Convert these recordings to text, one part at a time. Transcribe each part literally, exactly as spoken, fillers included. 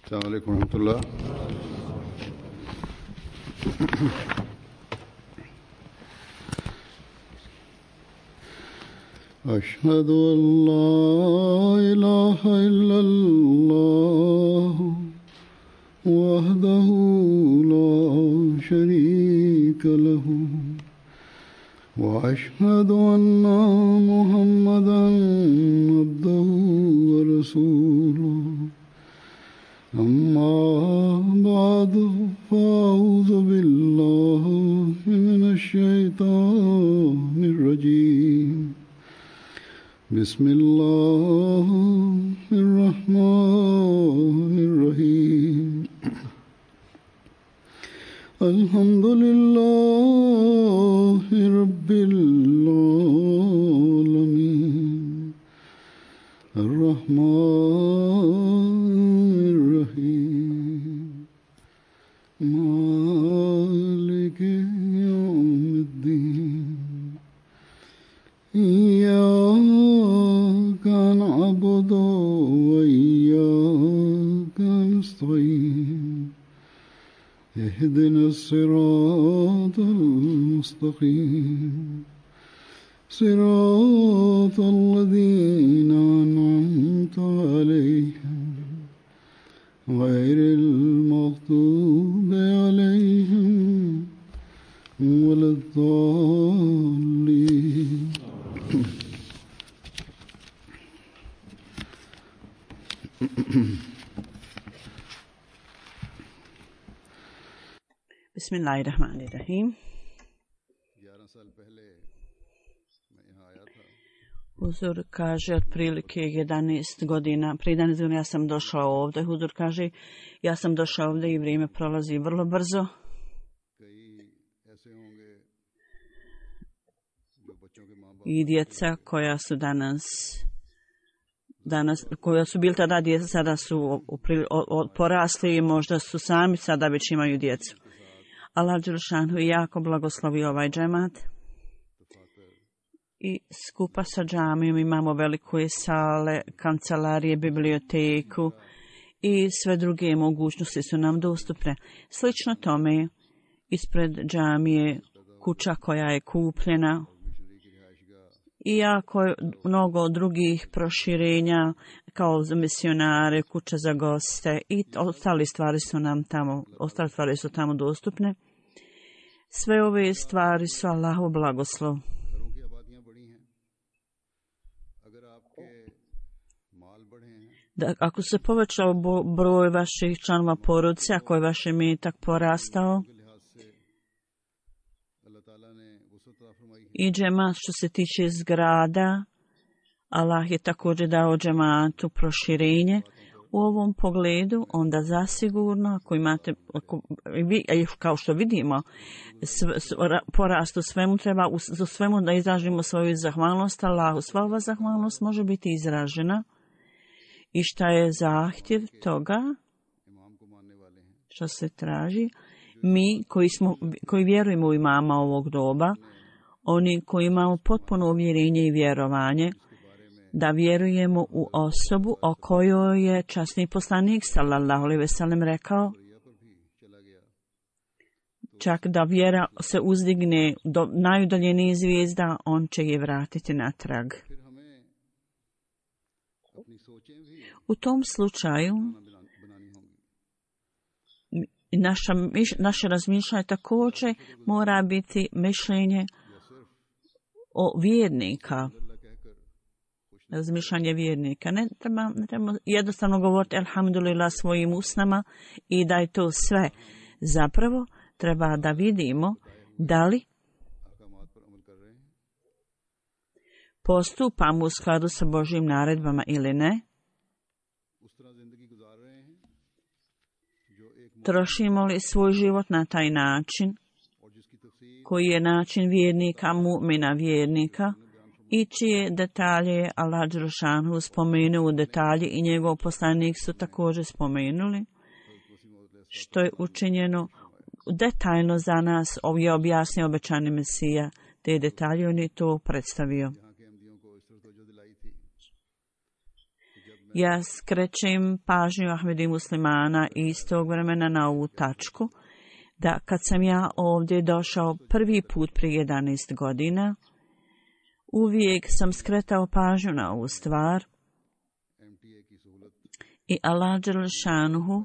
السلام عليكم ورحمة الله. أشهد أن لا إله إلا الله وحده لا شريك له وأشهد أن محمدا عبده ورسوله أما بعد فأعوذ بالله من الشيطان الرجيم بسم الله الرحمن الرحيم الحمد لله رب العالمين الرحمن الرحيم مالك يوم الدين إياك نعبد وإياك نستعين اهدنا الصراط المستقيم صراط الذين أنعمت عليهم غير المغضوب عليهم ولا الضالين. Bismillahirrahmanirrahim. Huzur kaže otprilike jedanaest godina, prije jedanaest godina ja sam došao ovdje. Huzur kaže ja sam došao ovdje i vrijeme prolazi vrlo brzo. I djeca koja su danas, danas koja su bili tada djeca, sada su porasli i možda su sami sada već imaju djecu. Allah dželešanu jako blagoslovi ovaj džemat. I skupa sa džamijom imamo velike sale, kancelarije, biblioteku i sve druge mogućnosti su nam dostupne. Slično tome, ispred džamije kuća koja je kupljena i jako mnogo drugih proširenja kao za misionare, kuća za goste i ostale stvari su nam tamo, ostale stvari su tamo dostupne. Sve ove stvari su Allahov blagoslov. Da, ako se povećao broj vaših članova porodice, ako je vaš imetak porastao, i džemat što se tiče zgrada, Allah je također dao džematu proširenje. U ovom pogledu, onda zasigurno, ako imate, ako, kao što vidimo, sve, porast u svemu, treba u, u svemu da izražimo svoju zahvalnost Allahu. Sva ova zahvalnost može biti izražena. I šta je zahtjev toga, što se traži, mi koji, smo, koji vjerujemo u imama ovog doba, oni koji imamo potpuno uvjerenje i vjerovanje, da vjerujemo u osobu o kojoj je časni poslanik sallallahu alejhi ve sellem rekao, čak da vjera se uzdigne do najudaljenije zvijezda, on će je vratiti natrag. U tom slučaju naša, naše razmišljanje također mora biti mišljenje o vjernika. Razmišljanje vjernika. Ne treba, ne treba jednostavno govoriti alhamdulillah svojim usnama i da je to sve. Zapravo treba da vidimo da li postupamo u skladu sa Božjim naredbama ili ne. Trošimo li svoj život na taj način, koji je način vjernika, mu'mina vjernika, i čije detalje je Allah dželešanu spomenuo u detalje i njegov poslanik su također spomenuli, što je učinjeno detaljno za nas, je objasnio obećani Mesija, te detalje on je to predstavio. Ja skrećem pažnju Ahmedi muslimana istog vremena na ovu tačku, da kad sam ja ovdje došao prvi put prije jedanaest godina, uvijek sam skretao pažnju na ovu stvar i Allah dželešanuhu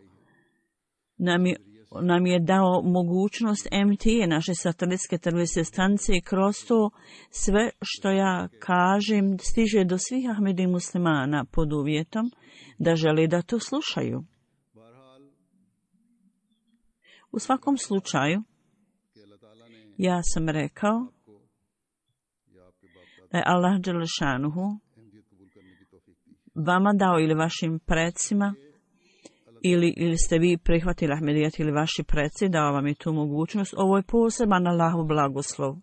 nam je, nam je dao mogućnost M T A, naše satelitske televizijske stanice, i kroz to sve što ja kažem stiže do svih Ahmedi muslimana pod uvjetom da žele da to slušaju. U svakom slučaju, ja sam rekao da je Allah dželešanuhu vama dao ili vašim predsima, ili, ili ste vi prihvatili Ahmedijat ili vaši preci, dao vam je tu mogućnost. Ovo je poseban Allahov blagoslov.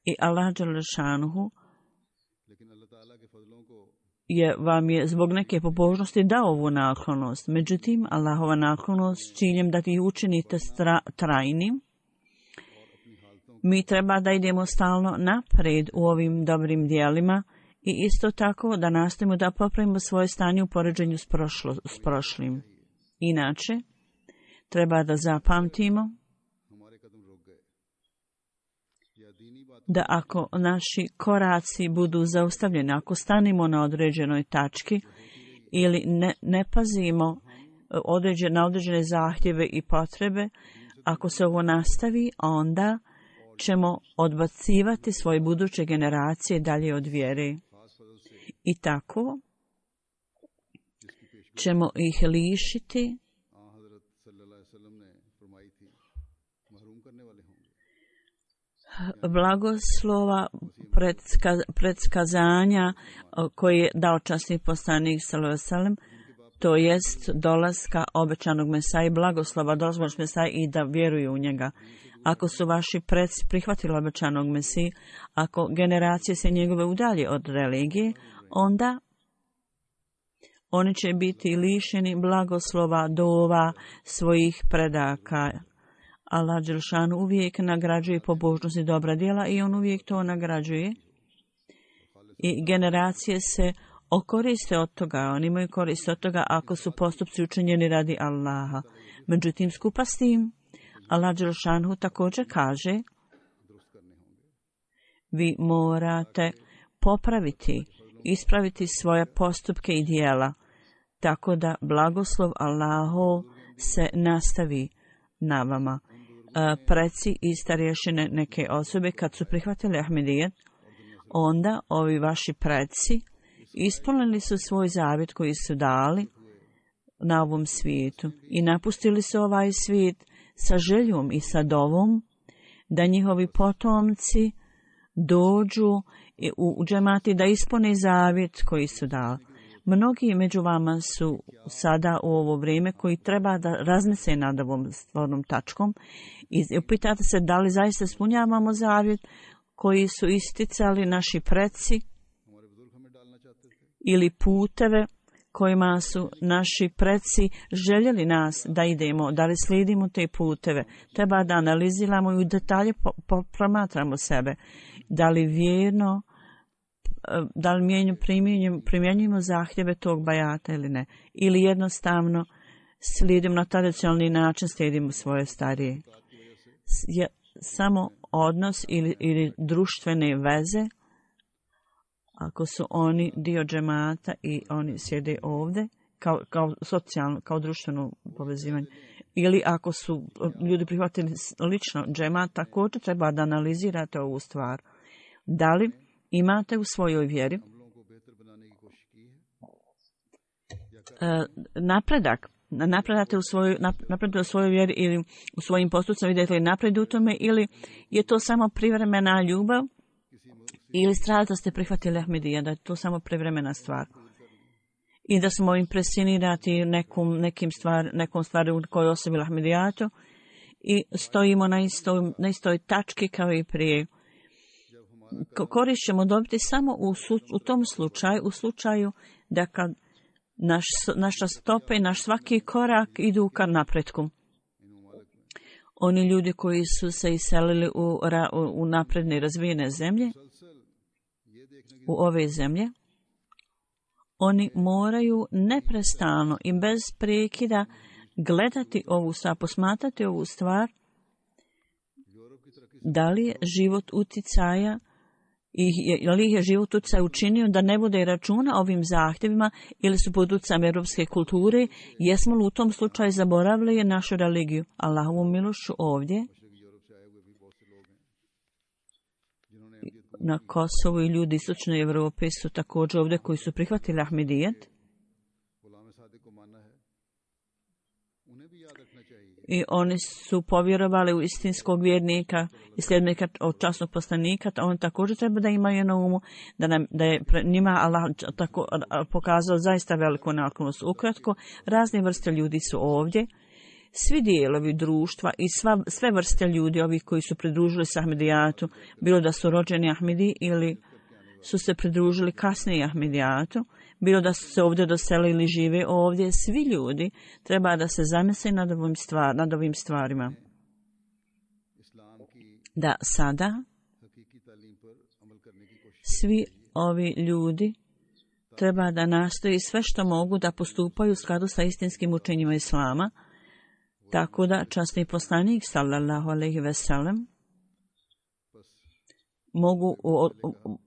I Allah dželešanuhu je vam je zbog neke pobožnosti dao ovu naklonost. Međutim, Allahova naklonost s ciljem da ti učinite stra, trajnim, mi treba da idemo stalno napred u ovim dobrim dijelima i isto tako da nastavimo da popravimo svoje stanje u poređenju s, prošlo, s prošlim. Inače, treba da zapamtimo da ako naši koraci budu zaustavljeni, ako stanimo na određenoj tački ili ne, ne pazimo određen, na određene zahtjeve i potrebe, ako se ovo nastavi, onda ćemo odbacivati svoje buduće generacije dalje od vjere. I tako ćemo ih lišiti blagoslova predska, predskazanja koji je dao časni poslanik sallallahu alejhi ve sellem, to jest dolaska obećanog Mesaje, blagoslova dolaska Mesaje i da vjeruju u njega. Ako su vaši preci prihvatili obećanog Mesiju, ako generacije se njegove udalje od religije, onda oni će biti lišeni blagoslova dova svojih predaka. Allah dželešanu uvijek nagrađuje pobožnost i dobra djela i on uvijek to nagrađuje. I generacije se okoriste od toga, oni imaju korist od toga ako su postupci učinjeni radi Allaha. Međutim, skupa s tim, Allah dželešanu također kaže, vi morate popraviti, ispraviti svoje postupke i djela, tako da blagoslov Allahov se nastavi na vama. Preci i starješine neke osobe kad su prihvatili Ahmedijet, onda ovi vaši preci ispunili su svoj zavjet koji su dali na ovom svijetu i napustili su ovaj svijet sa željom i sa dovom da njihovi potomci dođu u džemati da ispune zavjet koji su dali. Mnogi među vama su sada u ovo vrijeme koji treba da razmisle nad ovom stvarnom tačkom i upitate se da li zaista ispunjavamo zavjet koji su isticali naši preci ili puteve kojima su naši preci željeli nas da idemo, da li slijedimo te puteve. Treba da analiziramo i u detalje promatramo sebe. Da li vjerno, da li mijenju, primjenjujemo zahtjeve tog bajata ili ne. Ili jednostavno slijedimo na tradicionalni način, slijedimo svoje starije. Je samo odnos ili, ili društvene veze, ako su oni dio džemata i oni sjede ovdje, kao, kao socijalno, kao društveno povezivanje, ili ako su ljudi prihvatili lično džemat, također treba da analizirate ovu stvar. Da li imate u svojoj vjeri e, napredak, napredate u svojoj, napredate u svojoj vjeri ili u svojim postupcima, vidite li napred u tome, ili je to samo privremena ljubav, ili stradate ste prihvatili Ahmedija, da je to samo privremena stvar. I da smo impresionirati nekom, nekim stvar, nekom stvari u kojoj osobila Ahmedijatu i stojimo na istoj, na istoj tački kao i prije. Korist ćemo dobiti samo u, u tom slučaju, u slučaju da kad naš, naša stopa i naš svaki korak idu ka napretku. Oni ljudi koji su se iselili u, u napredne razvijene zemlje, u ove zemlje, Oni moraju neprestano i bez prekida gledati ovu stvar, posmatrati ovu stvar, da li je život uticaja i je li je život utjecaj učinio da ne bude računa ovim zahtjevima ili su pod utjecajem europske kulture, jesmo li u tom slučaju zaboravili našu religiju. Allahovu milošću ovdje na Kosovu i ljudi istočne Evrope su također ovdje koji su prihvatili Ahmedijet. I oni su povjerovali u istinskog vjernika i sljedbenika od časnog poslanika, oni također treba da imaju na umu da, nam, da je njima Allah tako pokazao zaista veliku naklonost. Ukratko, razne vrste ljudi su ovdje, svi dijelovi društva i sva, sve vrste ljudi, ovih koji su pridružili se Ahmedijatu, bilo da su rođeni Ahmedi ili su se pridružili kasnije Ahmedijatu, bilo da su se ovdje doselili ili žive ovdje, svi ljudi treba da se zamisle nad ovim, stvar, nad ovim stvarima. Da sada svi ovi ljudi treba da nastoji sve što mogu da postupaju u skladu sa istinskim učenjima Islama, tako da časni poslanik sallallahu alejhi ve sellem mogu o,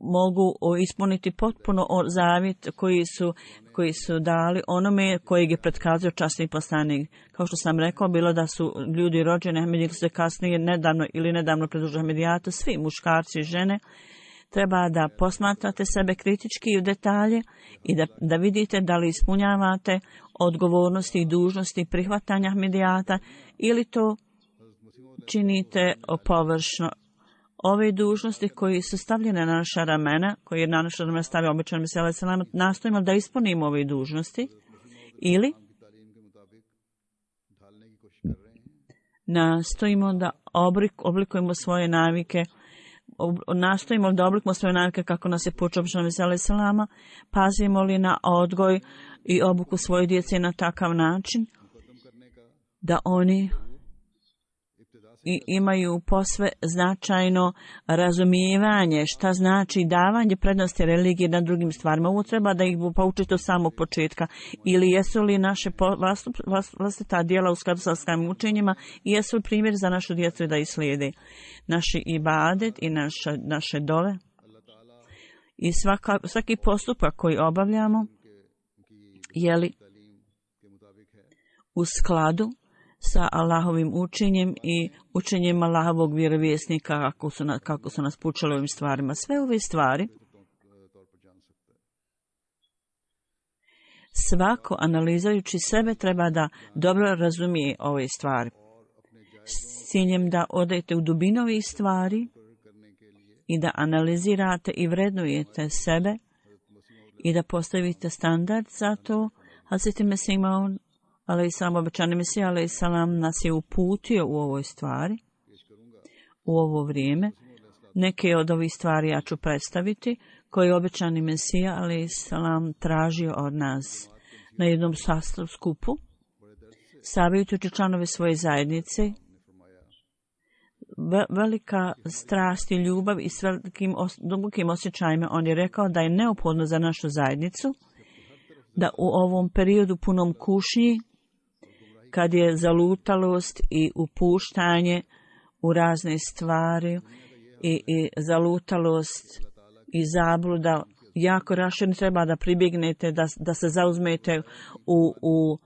mogu o, ispuniti potpuno o zavjet koji su koji su dali onome kojeg je pretkazio časni poslanik. Kao što sam rekao, bilo da su ljudi rođeni Ahmedi ili se kasnije nedavno ili nedavno pridružili Ahmedijatu, svi muškarci i žene, treba da posmatrate sebe kritički u detalje i da, da vidite da li ispunjavate odgovornosti i dužnosti prihvatanja Ahmedijata ili to činite površno. Ove dužnosti koji su stavljene na naša ramena, koje je na naša ramena stavio običan Mesija selam, nastojimo da ispunimo ove dužnosti ili nastojimo da oblik, oblikujemo svoje navike, ob, nastojimo da oblikujemo svoje navike kako nas je poučio običan Mesija selama, pazimo li na odgoj i obuku svoje djece na takav način da oni i imaju posve značajno razumijevanje šta znači davanje prednosti religije na drugim stvarima. Ovo treba da ih poučite od samog početka. Ili jesu li naše vlastita djela u skladu sa svojim učenjima i jesu li primjer za našu djecu da ih slijede. Naši ibadet i naše, naše dove i svaka, svaki postupak koji obavljamo je li u skladu sa Allahovim učenjem i učenjem Allahovog vjerovjesnika kako su, na, kako su nas poučali ovim stvarima. Sve ove stvari svako analizajući sebe treba da dobro razumije ove stvari. S ciljem da odete u dubinu ovih stvari i da analizirate i vrednujete sebe i da postavite standard za to. Hazreti Mesih Maud ali i sam obećani Mesija, ali i salam nas je uputio u ovoj stvari, u ovo vrijeme. Neke od ovih stvari ja ću predstaviti, koje je obećani Mesija, ali i salam tražio od nas na jednom sastavu skupu, savjetujući članove svoje zajednice, velika strast i ljubav i s velikim os, dubokim osjećajima. On je rekao da je neophodno za našu zajednicu da u ovom periodu punom kušnji, kad je zalutalost i upuštanje u razne stvari i, i zalutalost i zabluda jako raširno, treba da pribjegnete, da, da se zauzmete u, u,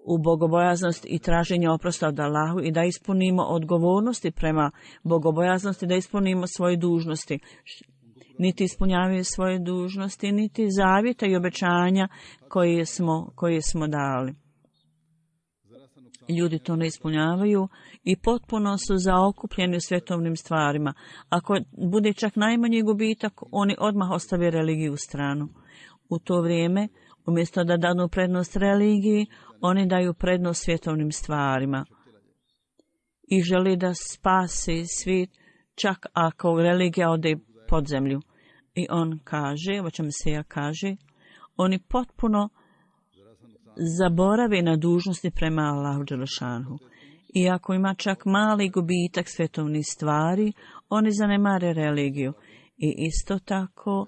u bogobojaznost i traženje oprosta od Allahu i da ispunimo odgovornosti prema bogobojaznosti, da ispunimo svoje dužnosti. Niti ispunjavaju svoje dužnosti, niti zavjeta i obećanja koje smo, koje smo dali. Ljudi to ne ispunjavaju i potpuno su zaokupljeni u svjetovnim stvarima. Ako bude čak najmanji gubitak, oni odmah ostave religiju u stranu. U to vrijeme, umjesto da danu prednost religiji, oni daju prednost svjetovnim stvarima. I želi da spasi svijet, čak ako religija ode pod zemlju. I on kaže, o čemu se ja kaže, oni potpuno zaborave na dužnosti prema Allahu dželešanhu. I ako ima čak mali gubitak svjetovnih stvari, oni zanemare religiju. I isto tako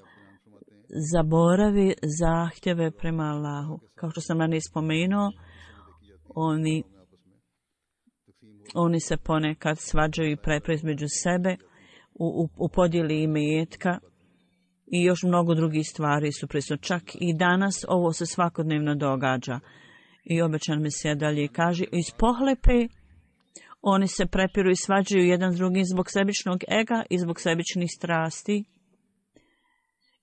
zaboravi zahtjeve prema Allahu. Kao što sam ranije spomenuo, oni, oni se ponekad svađaju i prepre između sebe u, u, u podjeli imetka i još mnogo drugih stvari su prisutne. Čak i danas ovo se svakodnevno događa. I obećan mi se dalje kaže, iz pohlepe oni se prepiru i svađaju jedan s drugim zbog sebičnog ega i zbog sebičnih strasti.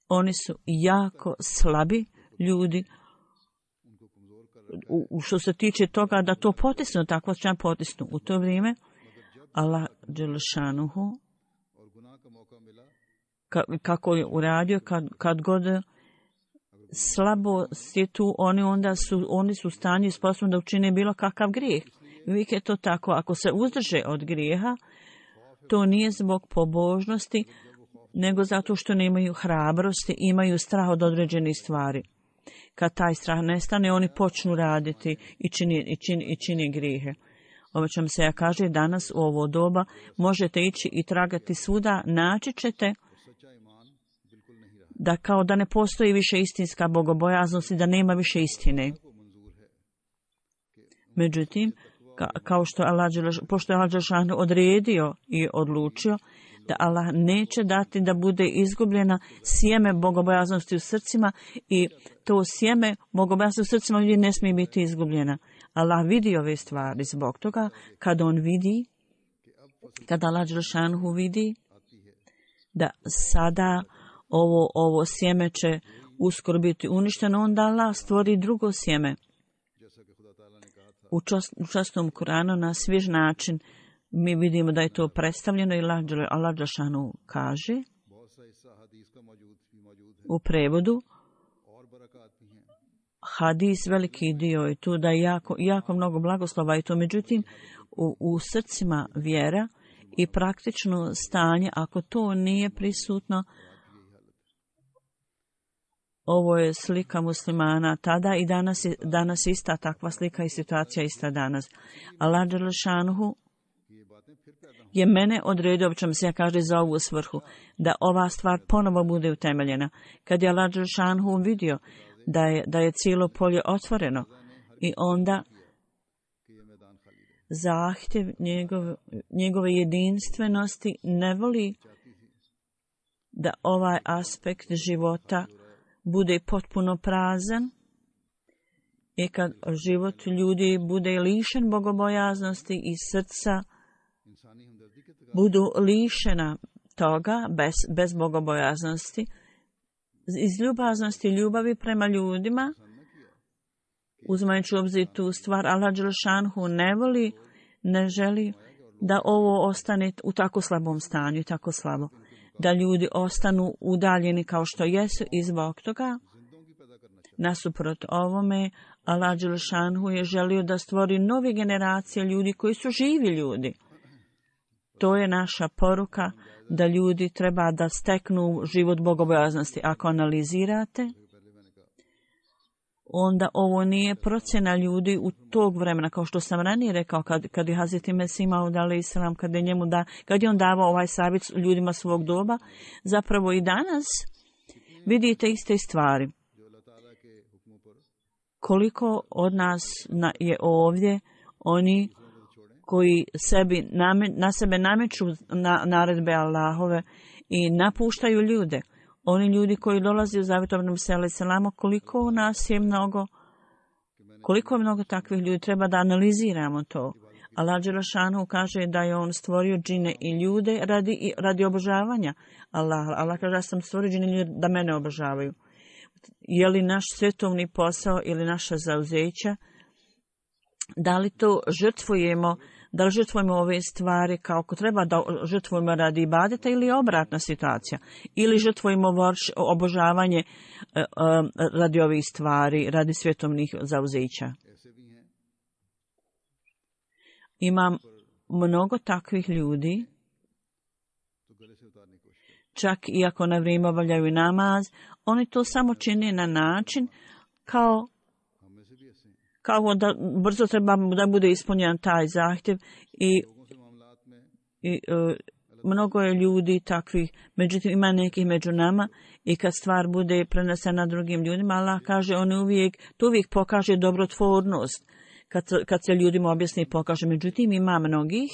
Oni su jako slabi ljudi u, u što se tiče toga da to potisnu, tako će potisnu. U to vrijeme Allah dželešanuhu ka, kako je uradio kad, kad god slabo je tu, oni onda su, oni su u stanju sposobni da učine bilo kakav grijeh. Uvijek je to tako. Ako se uzdrže od grijeha, to nije zbog pobožnosti, nego zato što nemaju hrabrosti, imaju strah od određenih stvari. Kad taj strah nestane, oni počnu raditi i čini, i čini, i čini grijehe. Ovo će vam se ja kaže, danas u ovo doba možete ići i tragati svuda, naći ćete da kao da ne postoji više istinska bogobojaznost i da nema više istine. Međutim, ka, kao što Allah, pošto je Allah odredio i odlučio da Allah neće dati da bude izgubljena sjeme bogobojaznosti u srcima i to sjeme bogobojaznosti u srcima ljudi ne smije biti izgubljena. Allah vidi ove stvari zbog toga kad on vidi, kada Allah Đelšanhu vidi da sada ovo, ovo sjeme će uskoro biti uništeno, onda Allah stvori drugo sjeme. U, čast, u častnom Kuranu na svjež način mi vidimo da je to predstavljeno i Allah Đelšanu kaže u prevodu hadis, veliki dio je tu da je jako, jako mnogo blagoslova i to, međutim u, u srcima vjera i praktično stanje, ako to nije prisutno, ovo je slika muslimana tada i danas je, danas ista takva slika i situacija ista danas. Allah Đelšanuhu je mene odredio, obično se ja kaže za ovu svrhu, da ova stvar ponovo bude utemeljena. Kad je Allah Đelšanuhu vidio da je, da je cijelo polje otvoreno i onda zahtjev njegove, njegove jedinstvenosti ne voli da ovaj aspekt života bude potpuno prazan i kad život ljudi bude lišen bogobojaznosti i srca budu lišena toga bez, bez bogobojaznosti, iz ljubaznosti i ljubavi prema ljudima, uzimajući u obzir tu stvar, Allah Đelšanhu ne voli, ne želi da ovo ostane u tako slabom stanju, tako slabo. Da ljudi ostanu udaljeni kao što jesu i zbog toga. Nasuprot ovome, Allah Đelšanhu je želio da stvori nove generacije ljudi koji su živi ljudi. To je naša poruka da ljudi treba da steknu život bogobojaznosti. Ako analizirate, onda ovo nije procjena ljudi u tog vremena, kao što sam ranije rekao, kad, kad je Hazreti Mesih Maud alejhi selam, kad je njemu da, kad je on davao ovaj savjet ljudima svog doba, zapravo i danas vidite iste stvari. Koliko od nas na, je ovdje oni koji sebi name, na sebe nameću na, naredbe Allahove i napuštaju ljude. Oni ljudi koji dolaze u zavjetovnom selu selamo, koliko nas je mnogo, koliko je mnogo takvih ljudi, treba da analiziramo to. Allah Đelešanu kaže da je on stvorio džine i ljude radi, radi obožavanja. Allah, Allah kaže da sam stvorio džine i ljude da mene obožavaju. Je li naš svjetovni posao ili naša zauzeća, da li to žrtvujemo, da li žrtvujemo ove stvari kao ko treba da žrtvujemo radi ibadeta ili obratna situacija. Ili žrtvujemo obožavanje uh, uh, radi ovih stvari, radi svjetovnih zauzeća. Imam mnogo takvih ljudi, čak i ako na vrijeme obavljaju namaz, oni to samo čine na način kao kao da brzo treba da bude ispunjen taj zahtjev i, i uh, mnogo je ljudi takvih, međutim ima nekih među nama i kad stvar bude prenesena drugim ljudima, Allah kaže, on uvijek, to uvijek pokaže dobrotvornost. Kad, kad se ljudima objasni i pokaže. Međutim, ima mnogih,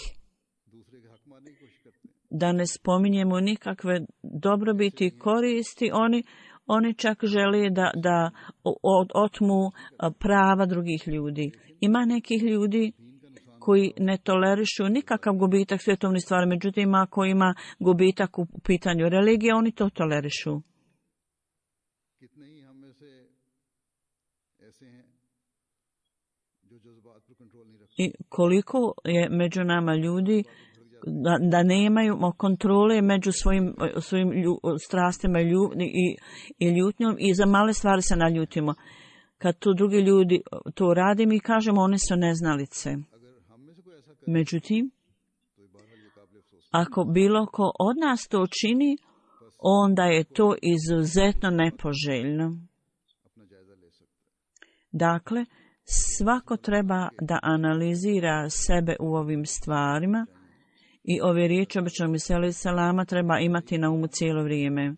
da ne spominjemo nikakve dobrobiti i koristi, oni, oni čak žele da, da otmu prava drugih ljudi. Ima nekih ljudi koji ne tolerišu nikakav gubitak svjetovne stvari, međutim, ako ima gubitak u pitanju religije, oni to tolerišu. I koliko je među nama ljudi da, da nemaju kontrole među svojim, svojim lju, strastima i, lju, i, i ljutnjom i za male stvari se naljutimo. Kad tu drugi ljudi to rade, mi kažemo one su neznalice. Međutim, ako bilo ko od nas to čini, onda je to izuzetno nepoželjno. Dakle, svako treba da analizira sebe u ovim stvarima i ove riječi običnog Mesije selama treba imati na umu cijelo vrijeme.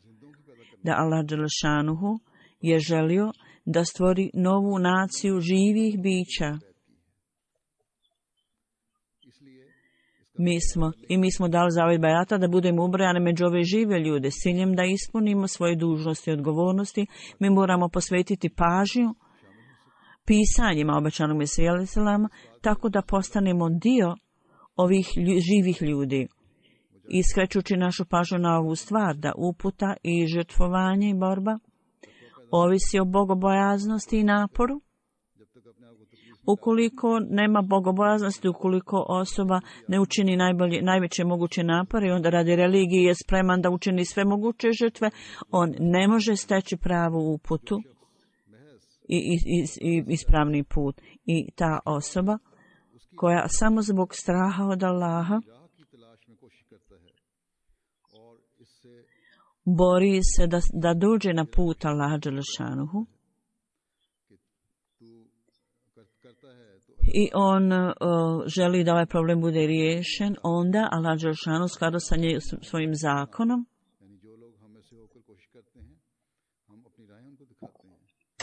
Da Allah dželešanuhu je želio da stvori novu naciju živih bića. Mi smo, i mi smo dali zavet bajata da budemo ubrojani među ove žive ljude s ciljem da ispunimo svoje dužnosti i odgovornosti. Mi moramo posvetiti pažnju pisanjima obećanog Mesije selama, tako da postanemo dio ovih lju, živih ljudi. Iskrećući našu pažnju na ovu stvar, da uputa i žrtvovanje i borba ovisi o bogobojaznosti i naporu. Ukoliko nema bogobojaznosti, ukoliko osoba ne učini najbolje, najveće moguće napore i onda radi religije je spreman da učini sve moguće žrtve, on ne može steći pravu uputu i, i, i, i ispravni put. I ta osoba koja samo zbog straha od Allaha bori se da, da dođe na put Allaha dželešanuhu i on uh, želi da ovaj problem bude riješen, onda Allah dželešanuhu skladu sa nje, svojim zakonom.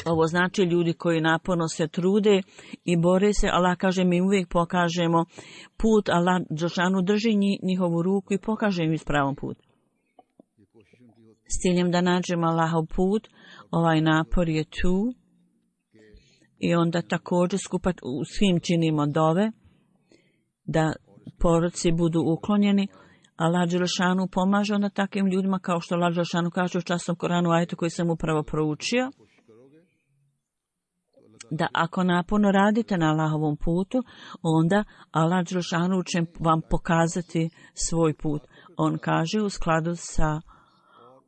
Ovo znači ljudi koji naporno se trude i bore se. Allah kaže, mi uvijek pokažemo put. Allah dželešanuhu drži njihovu ruku i pokaže im ispravan put. S ciljem da nađemo Allahov put, ovaj napor je tu. I onda također skupa u svim činimo dove da poroci budu uklonjeni. Allah dželešanuhu pomaže onda takvim ljudima kao što Allah dželešanuhu kaže u časnom Koranu ajetu koji sam upravo proučio. Da ako naporno radite na Allahovom putu, onda Allah dželešanuhu će vam pokazati svoj put. On kaže u skladu sa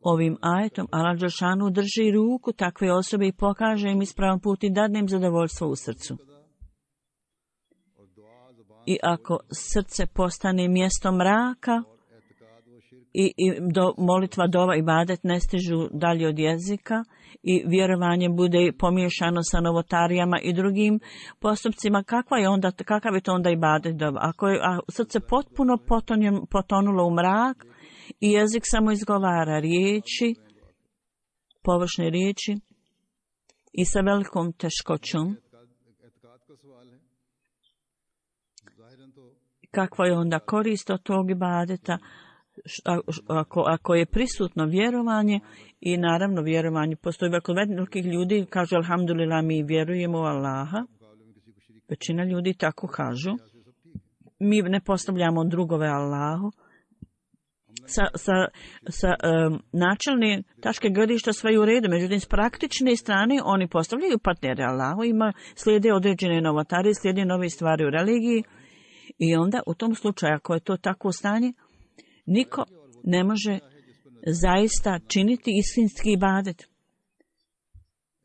ovim ajetom, Allah dželešanuhu drži ruku takve osobe i pokaže im ispravan put i dadne im zadovoljstvo u srcu. I ako srce postane mjesto mraka i, i do, molitva, dova i ibadet ne stižu dalje od jezika i vjerovanje bude pomiješano sa novotarijama i drugim postupcima, kakva je onda, kakav je to onda ibadet dova? Ako je a srce potpuno potonjen, potonulo u mrak i jezik samo izgovara riječi, površne riječi i sa velikom teškoćom, kakva je onda korist od tog ibadeta? Ako, ako je prisutno vjerovanje i naravno vjerovanje, postoji velikih ljudi kažu alhamdulillah mi vjerujemo u Allaha, većina ljudi tako kažu, mi ne postavljamo drugove Allahu. Sa, sa, sa um, načelne tačke gledišta sve je u redu, međutim s praktične strane oni postavljaju partnere Allahu, ima slijede određene novotare, slijede nove stvari u religiji i onda u tom slučaju ako je to takvo stanje, niko ne može zaista činiti istinski ibadet.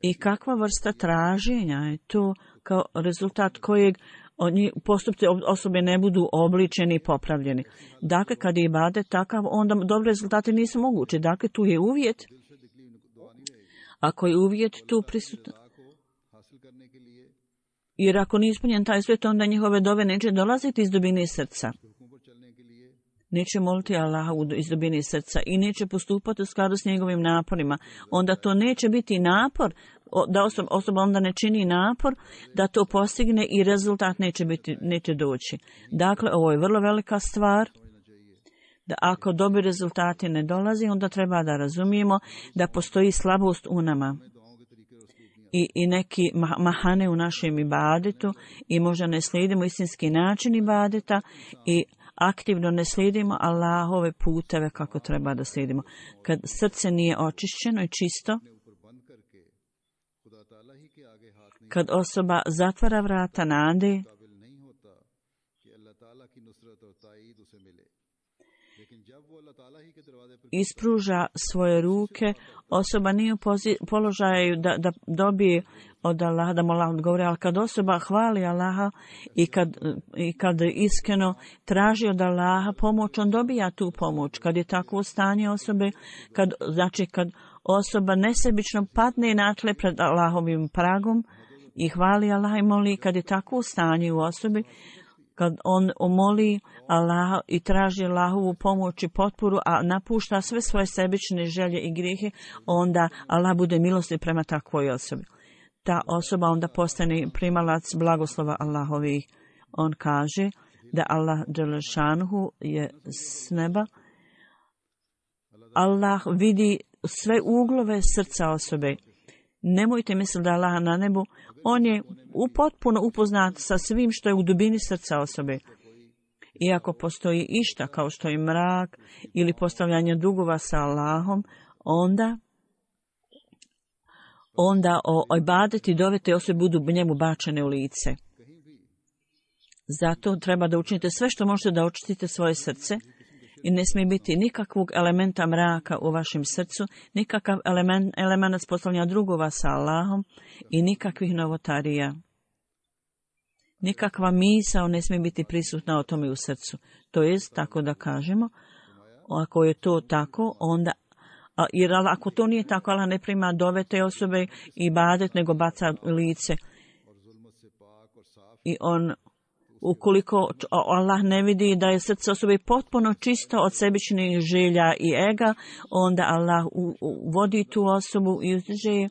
I kakva vrsta traženja je to kao rezultat kojeg oni postupci osobe ne budu obličeni i popravljeni. Dakle, kad je ibadet takav, onda dobre rezultate nisu moguće. Dakle, tu je uvjet. Ako je uvjet tu prisutan. Jer ako nije ispunjen taj svijet, onda njihove dove neće dolaziti iz dubine srca. neće moliti Allaha iz dubine srca i neće postupati u skladu s njegovim naporima, onda to neće biti napor, da osoba, osoba onda ne čini napor da to postigne i rezultat neće, biti, neće doći. Dakle, ovo je vrlo velika stvar, da ako dobri rezultati ne dolazi, onda treba da razumijemo da postoji slabost u nama. I, i neki mahane u našem ibadetu i možda ne slijedimo istinski način ibadeta i aktivno ne slijedimo Allahove puteve kako treba da slijedimo. Kad srce nije očišćeno i čisto, kad osoba zatvara vrata nade, ispruža svoje ruke, osoba nije u položaju da, da dobije od Allaha, da mu Allah odgovori, ali kad osoba hvali Allaha i kad, i kad iskreno traži od Allaha pomoć, on dobija tu pomoć. Kad je takvo stanje osobe, kad, znači kad osoba nesebično padne na tle pred Allahovim pragom i hvali Allaha i moli, kad je takvo stanje u osobi, kad on omoli Allaha i traži Allahovu pomoć i potporu, a napušta sve svoje sebične želje i grijehe, onda Allah bude milostiv prema takvoj osobi. Ta osoba onda postane primalac blagoslova Allahovih. On kaže da Allah dželešanuhu je s neba. Allah vidi sve uglove srca osobe. Nemojte misliti da Allah na nebu, on je potpuno upoznat sa svim što je u dubini srca osobe. Iako postoji išta kao što je mrak ili postavljanje dugova sa Allahom, onda onda o ibadet i dove te osobe budu njemu bačene u lice. Zato treba da učinite sve što možete da očistite svoje srce i ne smije biti nikakvog elementa mraka u vašem srcu, nikakav element, element postavljanja drugova sa Allahom i nikakvih novotarija. Nikakva misao ne smije biti prisutna o tome u srcu. To jest, tako da kažemo, ako je to tako, onda, jer ako to nije tako, Allah ne prima dove te osobe i badet, nego baca lice. I on, ukoliko Allah ne vidi da je srce osobe potpuno čisto od sebičnih želja i ega, onda Allah vodi tu osobu i uzdiže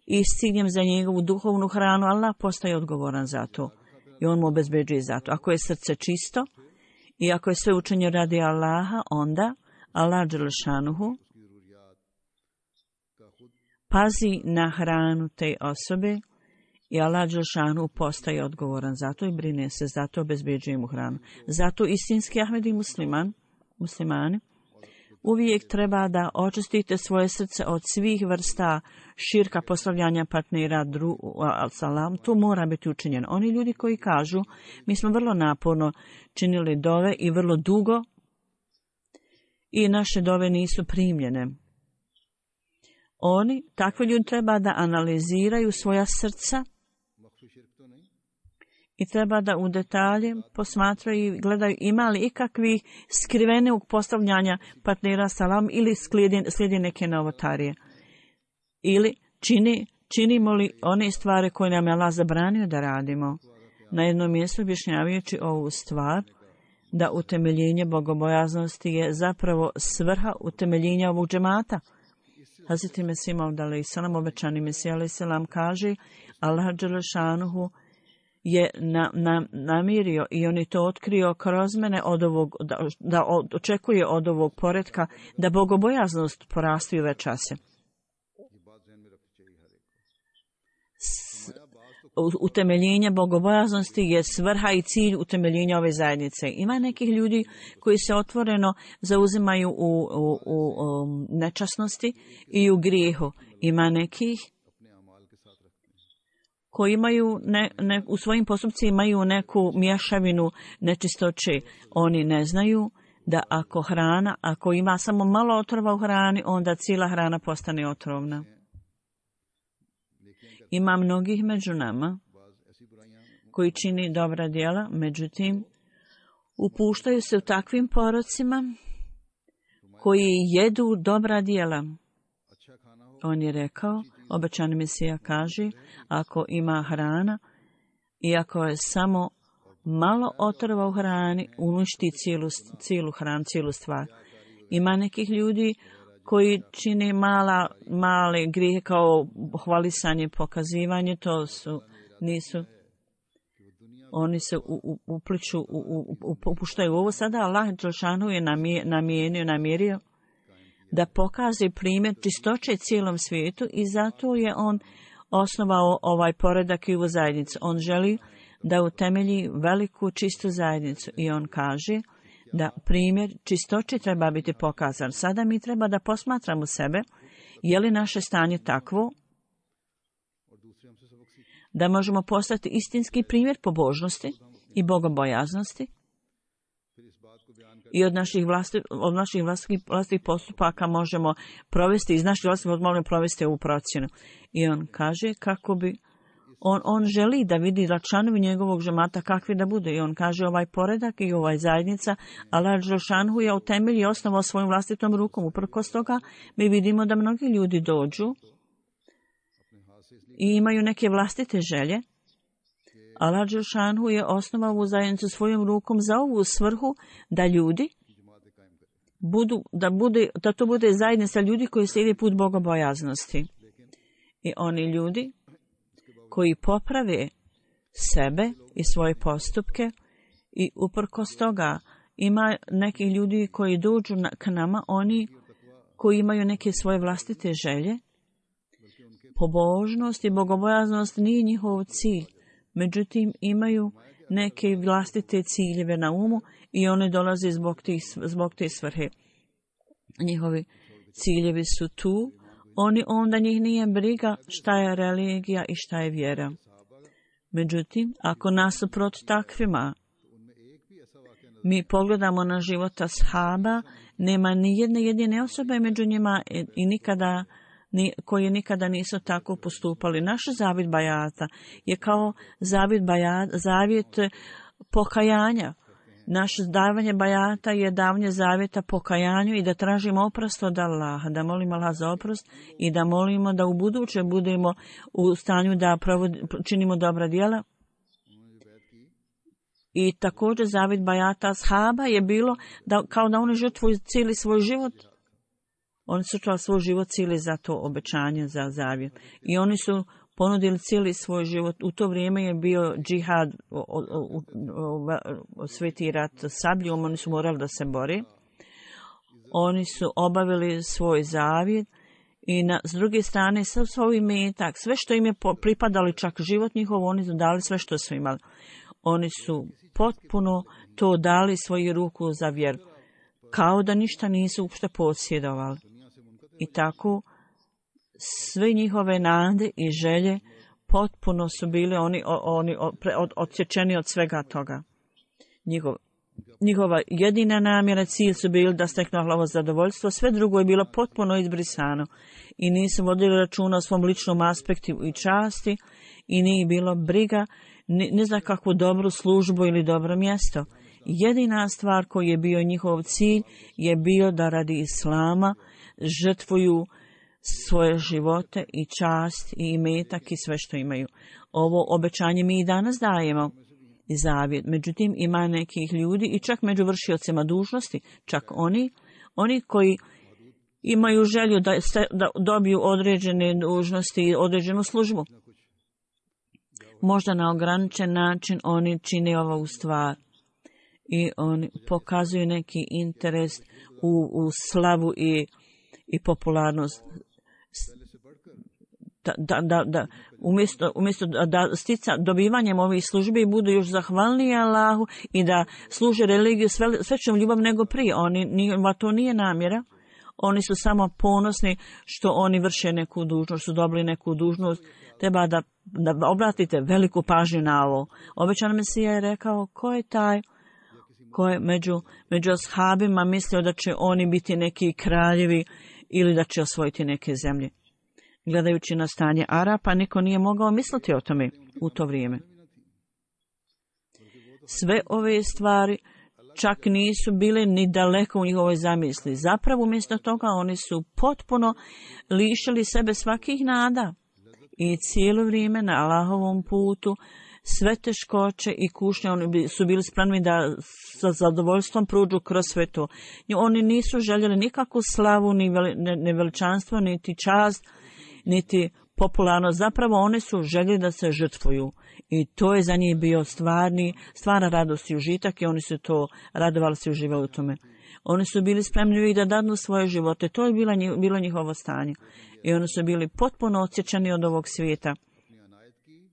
i s ciljem za njegovu duhovnu hranu, Allah postaje odgovoran za to. I on mu obezbeđuje za to. Ako je srce čisto i ako je sve učenje radi Allaha, onda Allah dželešanuhu pazi na hranu te osobe i Allah dželešanuhu postaje odgovoran za to i brine se, zato obezbeđuje mu hranu. Zato istinski Ahmedi musliman, muslimani, uvijek treba da očistite svoje srce od svih vrsta širka, postavljanja partnera, dru, salam, to mora biti učinjeno. Oni ljudi koji kažu, mi smo vrlo naporno činili dove i vrlo dugo i naše dove nisu primljene. Oni, takvi ljudi treba da analiziraju svoja srca i treba da u detalje posmatraju i gledaju ima li ikakvih skrivenog postavljanja partnera salam ili slijedi, slijedi neke novotarije. Ili čini, činimo li one stvari koje nam je Allah zabranio da radimo. Na jednom mjestu objašnjavajući ovu stvar, da utemeljenje bogobojaznosti je zapravo svrha utemeljenja ovog džemata. Hazreti Mesih Maud alejhi selam, obećani Mesih alejhi selam, kaže Allah dželešanuhu je na, na, namirio i on je to otkrio kroz mene od ovog, da, da očekuje od ovog poretka da bogobojaznost porasti u večase. Utemeljenje bogobojaznosti je svrha i cilj utemeljenja ove zajednice. Ima nekih ljudi koji se otvoreno zauzimaju u, u, u, u nečasnosti i u grijehu. Ima nekih koji imaju ne, ne, u svojim postupcima imaju neku mješavinu nečistoće. Oni ne znaju da ako hrana, ako ima samo malo otrova u hrani, onda cijela hrana postane otrovna. Ima mnogih među nama koji čini dobra djela, međutim, upuštaju se u takvim porocima koji jedu dobra djela. On je rekao, obećani Mesija kaže, ako ima hrana i ako je samo malo otrova u hrani uništi cijelu, cijelu hranu, cijelu stvar. Ima nekih ljudi koji čine mala, male grijehe kao hvalisanje, pokazivanje, to su, nisu, oni se u, u, upliču, u, u, u, upuštaju ovo sada. Allah dželešanu je namijenio, namjerio da pokaže primjer čistoće cijelom svijetu i zato je on osnovao ovaj poredak i ovu zajednicu. On želi da utemelji veliku čistu zajednicu i on kaže da primjer čistoće treba biti pokazan. Sada mi treba da posmatramo sebe, je li naše stanje takvo da možemo postati istinski primjer pobožnosti i bogobojaznosti i od naših vlasti, od naših vlastih, vlastih postupaka možemo provesti, iz naših vlastih možemo provesti ovu procjenu. I on kaže kako bi On, on želi da vidi da članovi njegovog džemata kakvi da bude. I on kaže ovaj poredak i ovaj zajednica, Allah dželešanu je utemelji i osnovao svojom vlastitom rukom. Uprkos toga mi vidimo da mnogi ljudi dođu i imaju neke vlastite želje. Allah dželešanu je osnovao ovu zajednicu svojom rukom za ovu svrhu da ljudi budu, da, bude, da to bude zajednica ljudi koji slijede put bogobojaznosti. I oni ljudi koji poprave sebe i svoje postupke i uprkos toga ima nekih ljudi koji dođu na, k nama, oni koji imaju neke svoje vlastite želje. Pobožnost i bogobojaznost nije njihov cilj, međutim imaju neke vlastite ciljeve na umu i one dolaze zbog, tih, zbog te svrhe. Njihovi ciljevi su tu. Oni onda njih nije briga šta je religija i šta je vjera. Međutim, ako nasuprot takvima mi pogledamo na život ashaba, nema ni jedne jedine osobe među njima i nikada, ni, koji nikada nisu tako postupali. Naš zavjet bajata je kao zavjet, bajat, zavjet pokajanja. Naše davanje bajata je davanje zavjeta pokajanju i da tražimo oprost od Allaha, da molimo Allah za oprost i da molimo da u buduće budemo u stanju da provodi, činimo dobra djela. I također zavjet bajata ashaba je bilo da, kao da oni žrtvuju cijeli svoj život. Oni su čuli svoj život cijeli za to obećanje, za zavjet. I oni su ponudili cijeli svoj život. U to vrijeme je bio džihad, o, o, o, o, sveti rat sabljom, oni su morali da se bore. Oni su obavili svoj zavjet i na, s druge strane sav svoj metak, sve što im je pripadali, čak život njihov, oni su dali sve što su imali. Oni su potpuno to dali svoju ruku za vjeru, kao da ništa nisu uopšte posjedovali. I tako sve njihove nade i želje potpuno su bili oni, oni od, odsječeni od svega toga. Njihov, njihova jedina namjera, cilj su bili da steknu Allahovo zadovoljstvo, sve drugo je bilo potpuno izbrisano i nisu vodili računa o svom ličnom aspektu i časti i nije bilo briga ni, ni za kakvu dobru službu ili dobro mjesto. Jedina stvar koji je bio njihov cilj je bio da radi Islama žrtvuju svoje živote i čast i imetak i sve što imaju. Ovo obećanje mi i danas dajemo i zavjet. Međutim, ima nekih ljudi i čak među vršiocima dužnosti, čak oni, oni koji imaju želju da, da dobiju određene dužnosti i određenu službu. Možda na ograničen način oni čine ovu stvar i oni pokazuju neki interes u, u slavu i, i popularnost. Da, da, da, da umjesto, umjesto da stica dobivanjem ovih službi budu još zahvalniji Allahu i da služe religiju s većom ljubav nego prije. Oni, njima to nije namjera. Oni su samo ponosni što oni vrše neku dužnost, su dobili neku dužnost. Treba da, da obratite veliku pažnju na ovo. Obećan Mesija je rekao, ko je taj ko je među, među ashabima mislio da će oni biti neki kraljevi ili da će osvojiti neke zemlje. Gledajući na stanje Arapa, niko nije mogao misliti o tome u to vrijeme. Sve ove stvari čak nisu bile ni daleko u njihovoj zamisli. Zapravo, umjesto toga, oni su potpuno lišili sebe svakih nada i cijelo vrijeme na Allahovom putu sve teškoće i kušnje, oni su bili spremni da sa zadovoljstvom prođu kroz sve to. Oni nisu željeli nikakvu slavu, ni, veli, ni veličanstvo, niti čast, niti popularnost. Zapravo oni su željeli da se žrtvuju. I to je za njih bio stvarni, stvarna radost i užitak i oni su to radovali se i uživali u tome. Oni su bili spremni da dadnu svoje živote. To je bilo, njih, bilo njihovo stanje. I oni su bili potpuno odsječani od ovog svijeta.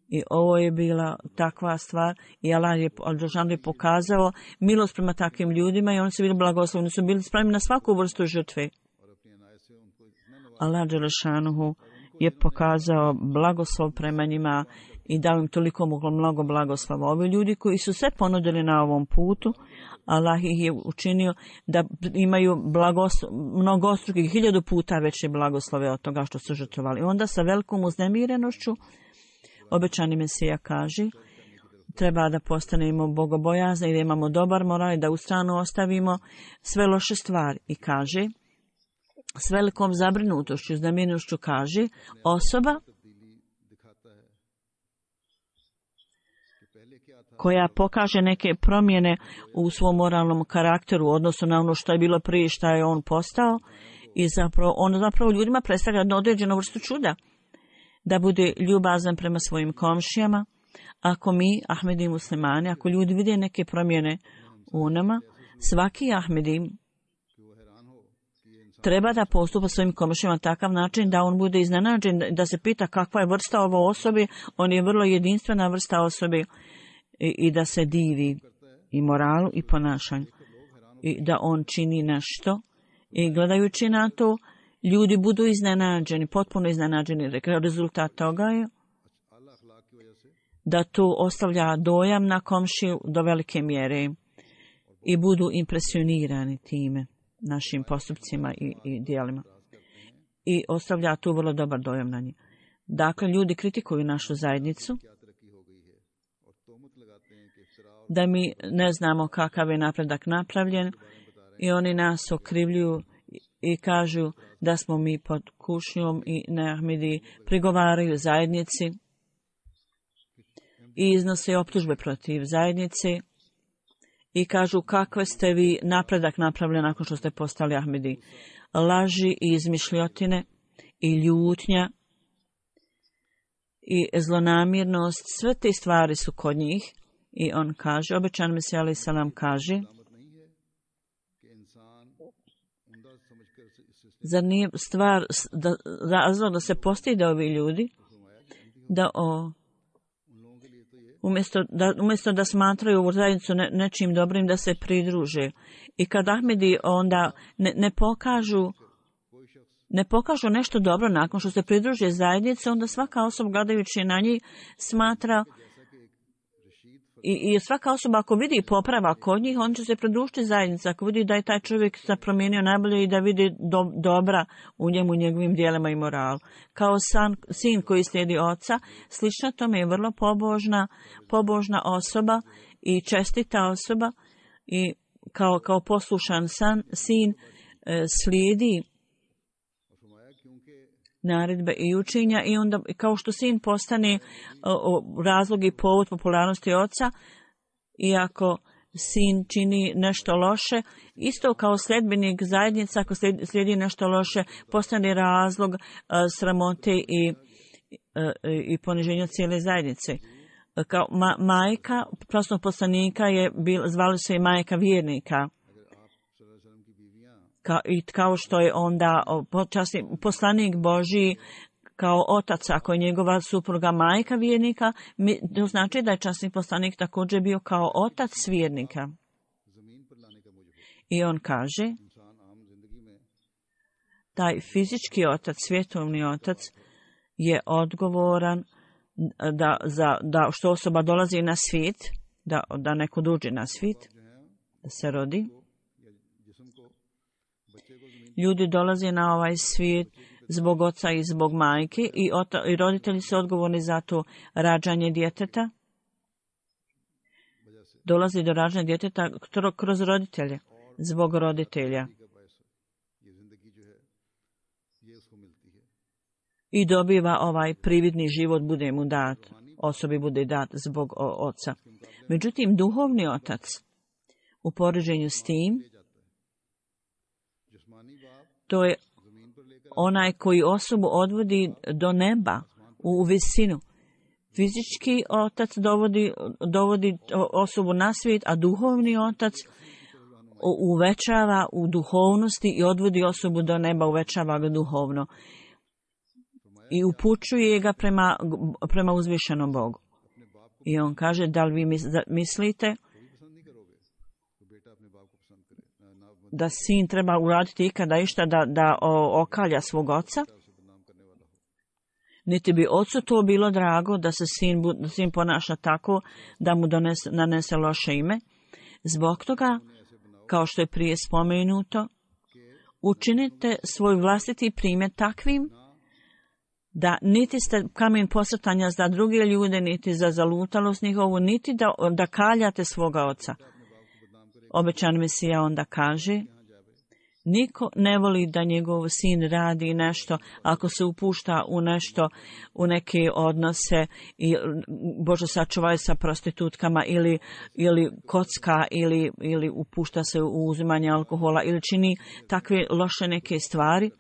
I ovo je bila takva stvar. I Allah je, Al-Đelešanu je pokazao milost prema takvim ljudima i oni su bili blagoslovni. Oni su bili spremni na svaku vrstu žrtve. Allah Đelešanu je pokazao blagoslov prema njima i dao im toliko mnogo blagoslova. Ovi ljudi koji su se ponudili na ovom putu, Allah ih je učinio da imaju blagoslov, mnogostrukih, hiljadu puta veće blagoslove od toga što su žrtvovali. Onda sa velikom uznemirenošću obećani Mesija kaže, treba da postanemo bogobojazni i da imamo dobar moral i da u stranu ostavimo sve loše stvari. I kaže, s velikom zabrinutošću, uznemirenošću kaže, osoba koja pokaže neke promjene u svom moralnom karakteru u odnosu na ono što je bilo prije, što je on postao, i zapravo, on zapravo ljudima predstavlja jednu određenu vrstu čuda, da bude ljubazan prema svojim komšijama. Ako mi, Ahmedi muslimani, ako ljudi vide neke promjene u nama, svaki Ahmedi treba da postupa svojim komšijama na takav način da on bude iznenađen, da se pita kakva je vrsta ovo osobe, on je vrlo jedinstvena vrsta osobe, i, i da se divi i moralu i ponašanju i da on čini nešto i gledajući na to ljudi budu iznenađeni, potpuno iznenađeni. Rezultat toga je da to ostavlja dojam na komšiju do velike mjere i budu impresionirani time, našim postupcima i, i dijelima. I ostavlja tu vrlo dobar dojam na njih. Dakle, ljudi kritikuju našu zajednicu, da mi ne znamo kakav je napredak napravljen i oni nas okrivljuju i kažu da smo mi pod kušnjom i neahmedi, prigovaraju zajednici i iznose optužbe protiv zajednice i kažu kakve ste vi napredak napravljeni nakon što ste postali ahmedi. Laži i izmišljotine i ljutnja i zlonamjernost, sve te stvari su kod njih. I on kaže, obećan Mesija alejhi selam kaže, zar nije stvar da, razlog da se postide ovi ljudi, da o, umjesto, da, umjesto da smatraju ovu zajednicu ne, nečim dobrim, da se pridruže. I kad Ahmedi onda ne, ne pokažu ne pokažu nešto dobro nakon što se pridruže zajednice, onda svaka osoba gledajući na njih smatra I, I svaka osoba ako vidi poprava kod njih, on će se pridružiti zajednici. Ako vidi da je taj čovjek se promijenio najbolje i da vidi do, dobra u njemu, njegovim dijelima i moralu. Kao san, sin koji slijedi oca, slično tome je vrlo pobožna, pobožna osoba i čestita osoba i kao, kao poslušan san, sin e, slijedi naredbe i učenja i onda kao što sin postane o, o, razlog i povod popularnosti oca, iako sin čini nešto loše, isto kao sljedbenik zajednica, ako slijedi, slijedi nešto loše, postane razlog a, sramote i, a, i poniženja cijele zajednice. Kao ma, majka prosnog poslanika je bil, zvali se i majka vjernika. Ka, i kao što je onda počasni poslanik Božji kao otac, ako je njegova supruga majka vjernika, mi, to znači da je časni poslanik također bio kao otac vjernika. I on kaže, taj fizički otac, svjetovni otac, je odgovoran da, za, da što osoba dolazi na svijet, da, da neko dođe na svijet, da se rodi. Ljudi dolaze na ovaj svijet zbog oca i zbog majke i, ota, i roditelji su odgovorni za to rađanje djeteta. Dolazi do rađanja djeteta kroz roditelje, zbog roditelja. I dobiva ovaj prividni život, bude mu dat. osobi bude dat zbog oca. Međutim, duhovni otac u poređenju s tim, to je onaj koji osobu odvodi do neba, u visinu. Fizički otac dovodi, dovodi osobu na svijet, a duhovni otac uvećava u duhovnosti i odvodi osobu do neba, uvećava ga duhovno. I upućuje ga prema, prema uzvišenom Bogu. I on kaže, da li vi mislite da sin treba uraditi ikada išta da, da okalja svog oca? Niti bi ocu to bilo drago da se sin, da sin ponaša tako da mu donese, nanese loše ime. Zbog toga, kao što je prije spomenuto, učinite svoj vlastiti primjer takvim da niti ste kamen posrtanja za druge ljude, niti za zalutalost njihovu, niti da, da kaljate svoga oca. Obećan Mesija onda kaže, niko ne voli da njegov sin radi nešto, ako se upušta u nešto, u neke odnose, i Bože sačuvaj sa prostitutkama, ili, ili kocka, ili, ili upušta se u uzimanje alkohola, ili čini takve loše neke stvari,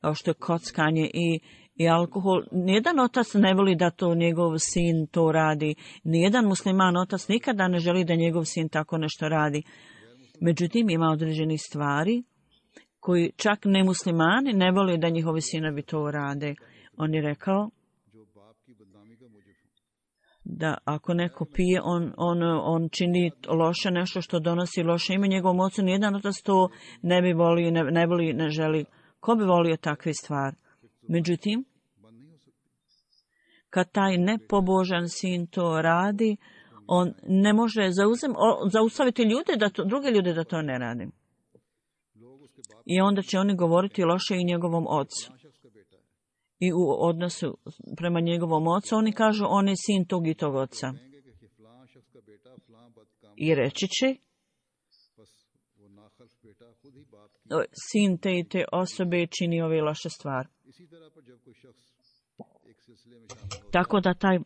kao što je kockanje i I alkohol. Nijedan otac ne voli da to njegov sin to radi. Nijedan musliman otac nikada ne želi da njegov sin tako nešto radi. Međutim, ima određeni stvari koji čak nemuslimani ne voli da njihovi sinovi to rade. On je rekao da ako neko pije, on, on, on čini loše nešto što donosi loše ime njegovom ocu. Nijedan otac to ne bi volio, ne, ne voli, ne želi. Ko bi volio takve stvari? Međutim, kad taj nepobožan sin to radi, on ne može zauzem, o, zaustaviti ljude da to, druge ljude da to ne radi. I onda će oni govoriti loše i njegovom ocu. I u odnosu prema njegovom ocu, oni kažu, on je sin tog i tog oca. I reći će, sin te i te osobe čini ove loše stvari. Tako da taj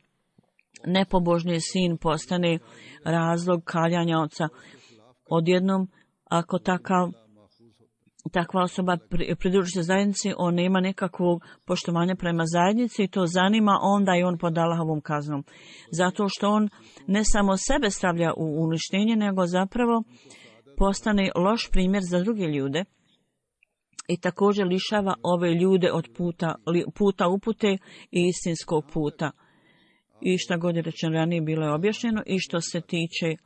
nepobožni sin postane razlog kaljanja oca. Odjednom, ako takav, takva osoba pridruži se zajednici, on nema nekakvog poštovanja prema zajednici i to zanima, onda i on pod Allahovom kaznom. Zato što on ne samo sebe stavlja u uništenje, nego zapravo postane loš primjer za druge ljude. I također lišava ove ljude od puta, puta upute i istinskog puta. I šta god je rečeno ranije bilo je objašnjeno. I što se tiče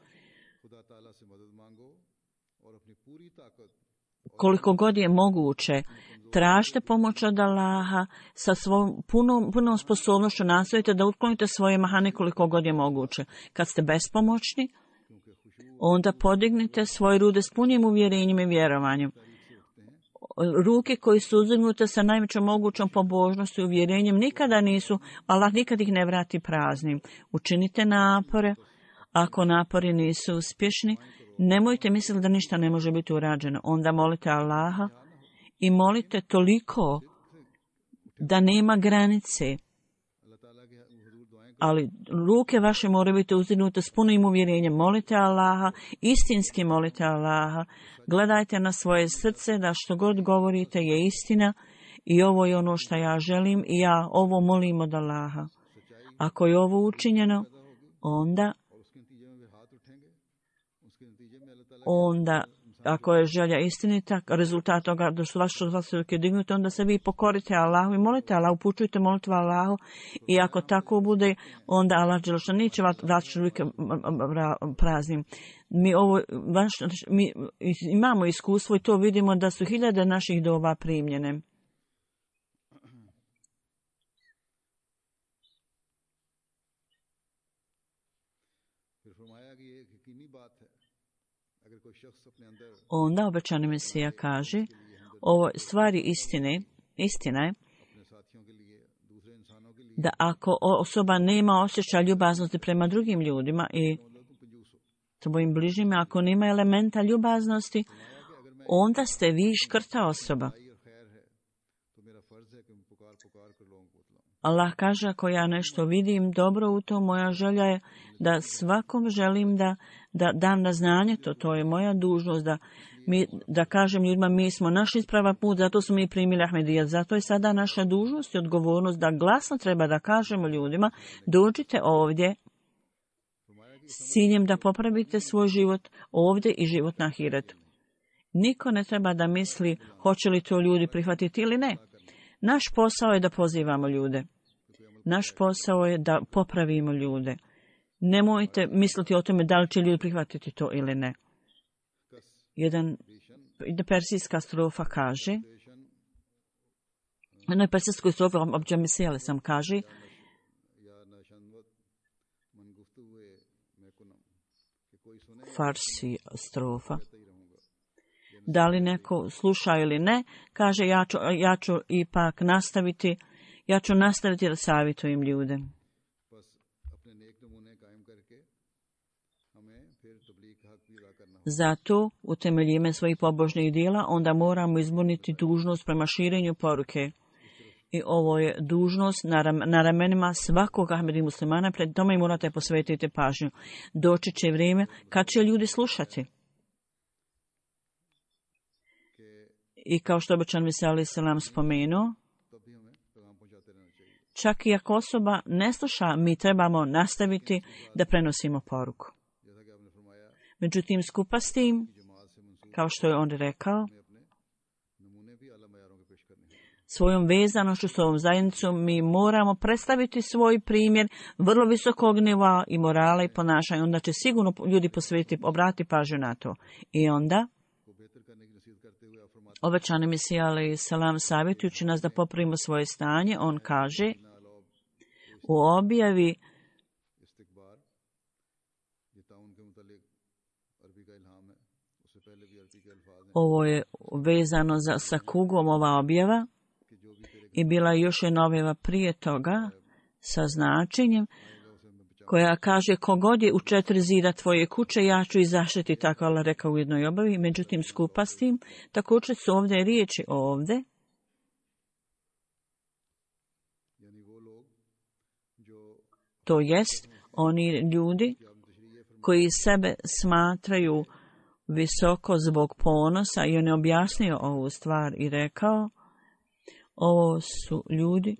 koliko god je moguće, tražite pomoć od Allaha sa svojom punom, punom sposobnošću, nastojite da otklonite svoje mahane koliko god je moguće. Kad ste bespomoćni, onda podignite svoje rude s punim uvjerenjem i vjerovanjem. Ruke koji su uzdignute sa najvećom mogućom pobožnosti i uvjerenjem nikada nisu, Allah nikad ih ne vrati praznim. Učinite napore. Ako napori nisu uspješni, nemojte misliti da ništa ne može biti urađeno. Onda molite Allaha i molite toliko da nema granice. Ali ruke vaše moraju biti uzdignute s punim uvjerenjem. Molite Allaha, istinski molite Allaha. Gledajte na svoje srce da što god govorite je istina i ovo je ono što ja želim i ja ovo molim od Allaha. Ako je ovo učinjeno, onda onda ako je želja istinita, rezultat toga da su vaše ruke dignute, onda se vi pokorite Allahu i molite Allahu, upućujte molitvu Allahu i ako tako bude, onda Allah dželešan neće vaše ruke praznim. Mi, ovo, vaš, mi imamo iskustvo i to vidimo da su hiljade naših dova primljene. Onda obećani Mesija kaže, ovo stvari istine, istina je da ako osoba nema osjećaja ljubaznosti prema drugim ljudima i svojim bližnjima, ako nema elementa ljubaznosti, onda ste vi škrta osoba. Allah kaže, ako ja nešto vidim dobro u to, moja želja je da svakom želim da, da dam na znanje to. To je moja dužnost da, mi, da kažem ljudima mi smo naš ispravan put, zato smo mi primili Ahmedijat. Zato je sada naša dužnost i odgovornost da glasno treba da kažemo ljudima dođite ovdje s ciljem da popravite svoj život ovdje i život na ahiretu. Niko ne treba da misli hoće li to ljudi prihvatiti ili ne. Naš posao je da pozivamo ljude. Naš posao je da popravimo ljude. Nemojte misliti o tome da li će ljudi prihvatiti to ili ne. Jedan persijska strofa kaže, jednoj persijskoj strofi obđamisijale sam kaže, farsi strofa. Da li neko sluša ili ne, kaže ja ću, ja ću ipak nastaviti, ja ću nastaviti da savjetujem ljude. Zato, utemeljime svojih pobožnih dijela, onda moramo izborniti dužnost prema širenju poruke. I ovo je dužnost na, ram, na ramenima svakog Ahmedi muslimana, pred tome i morate posvetiti pažnju. Doći će vrijeme kad će ljudi slušati. I kao što obećan Isa alejhi selam spomenuo, čak i ako osoba ne sluša, mi trebamo nastaviti da prenosimo poruku. Međutim, skupa s tim, kao što je on rekao, svojom vezanošću s ovom zajednicom mi moramo predstaviti svoj primjer vrlo visokog nivoa i morala i ponašanja. Onda će sigurno ljudi posvetiti, obrati pažnju na to. I onda obećani Mesija alejhi selam savjetujući nas da popravimo svoje stanje, on kaže u objavi ovo je vezano za, sa kugom ova objava i bila je još jedna objava prije toga sa značenjem koja kaže kogod je u četiri zida tvoje kuće, ja ću i zaštiti, tako Allah rekao u jednoj objavi. Međutim, skupa s tim, također su ovdje riječi ovdje. To jest, oni ljudi koji sebe smatraju visoko zbog ponosa, i on je objasnio ovu stvar i rekao, ovo su ljudi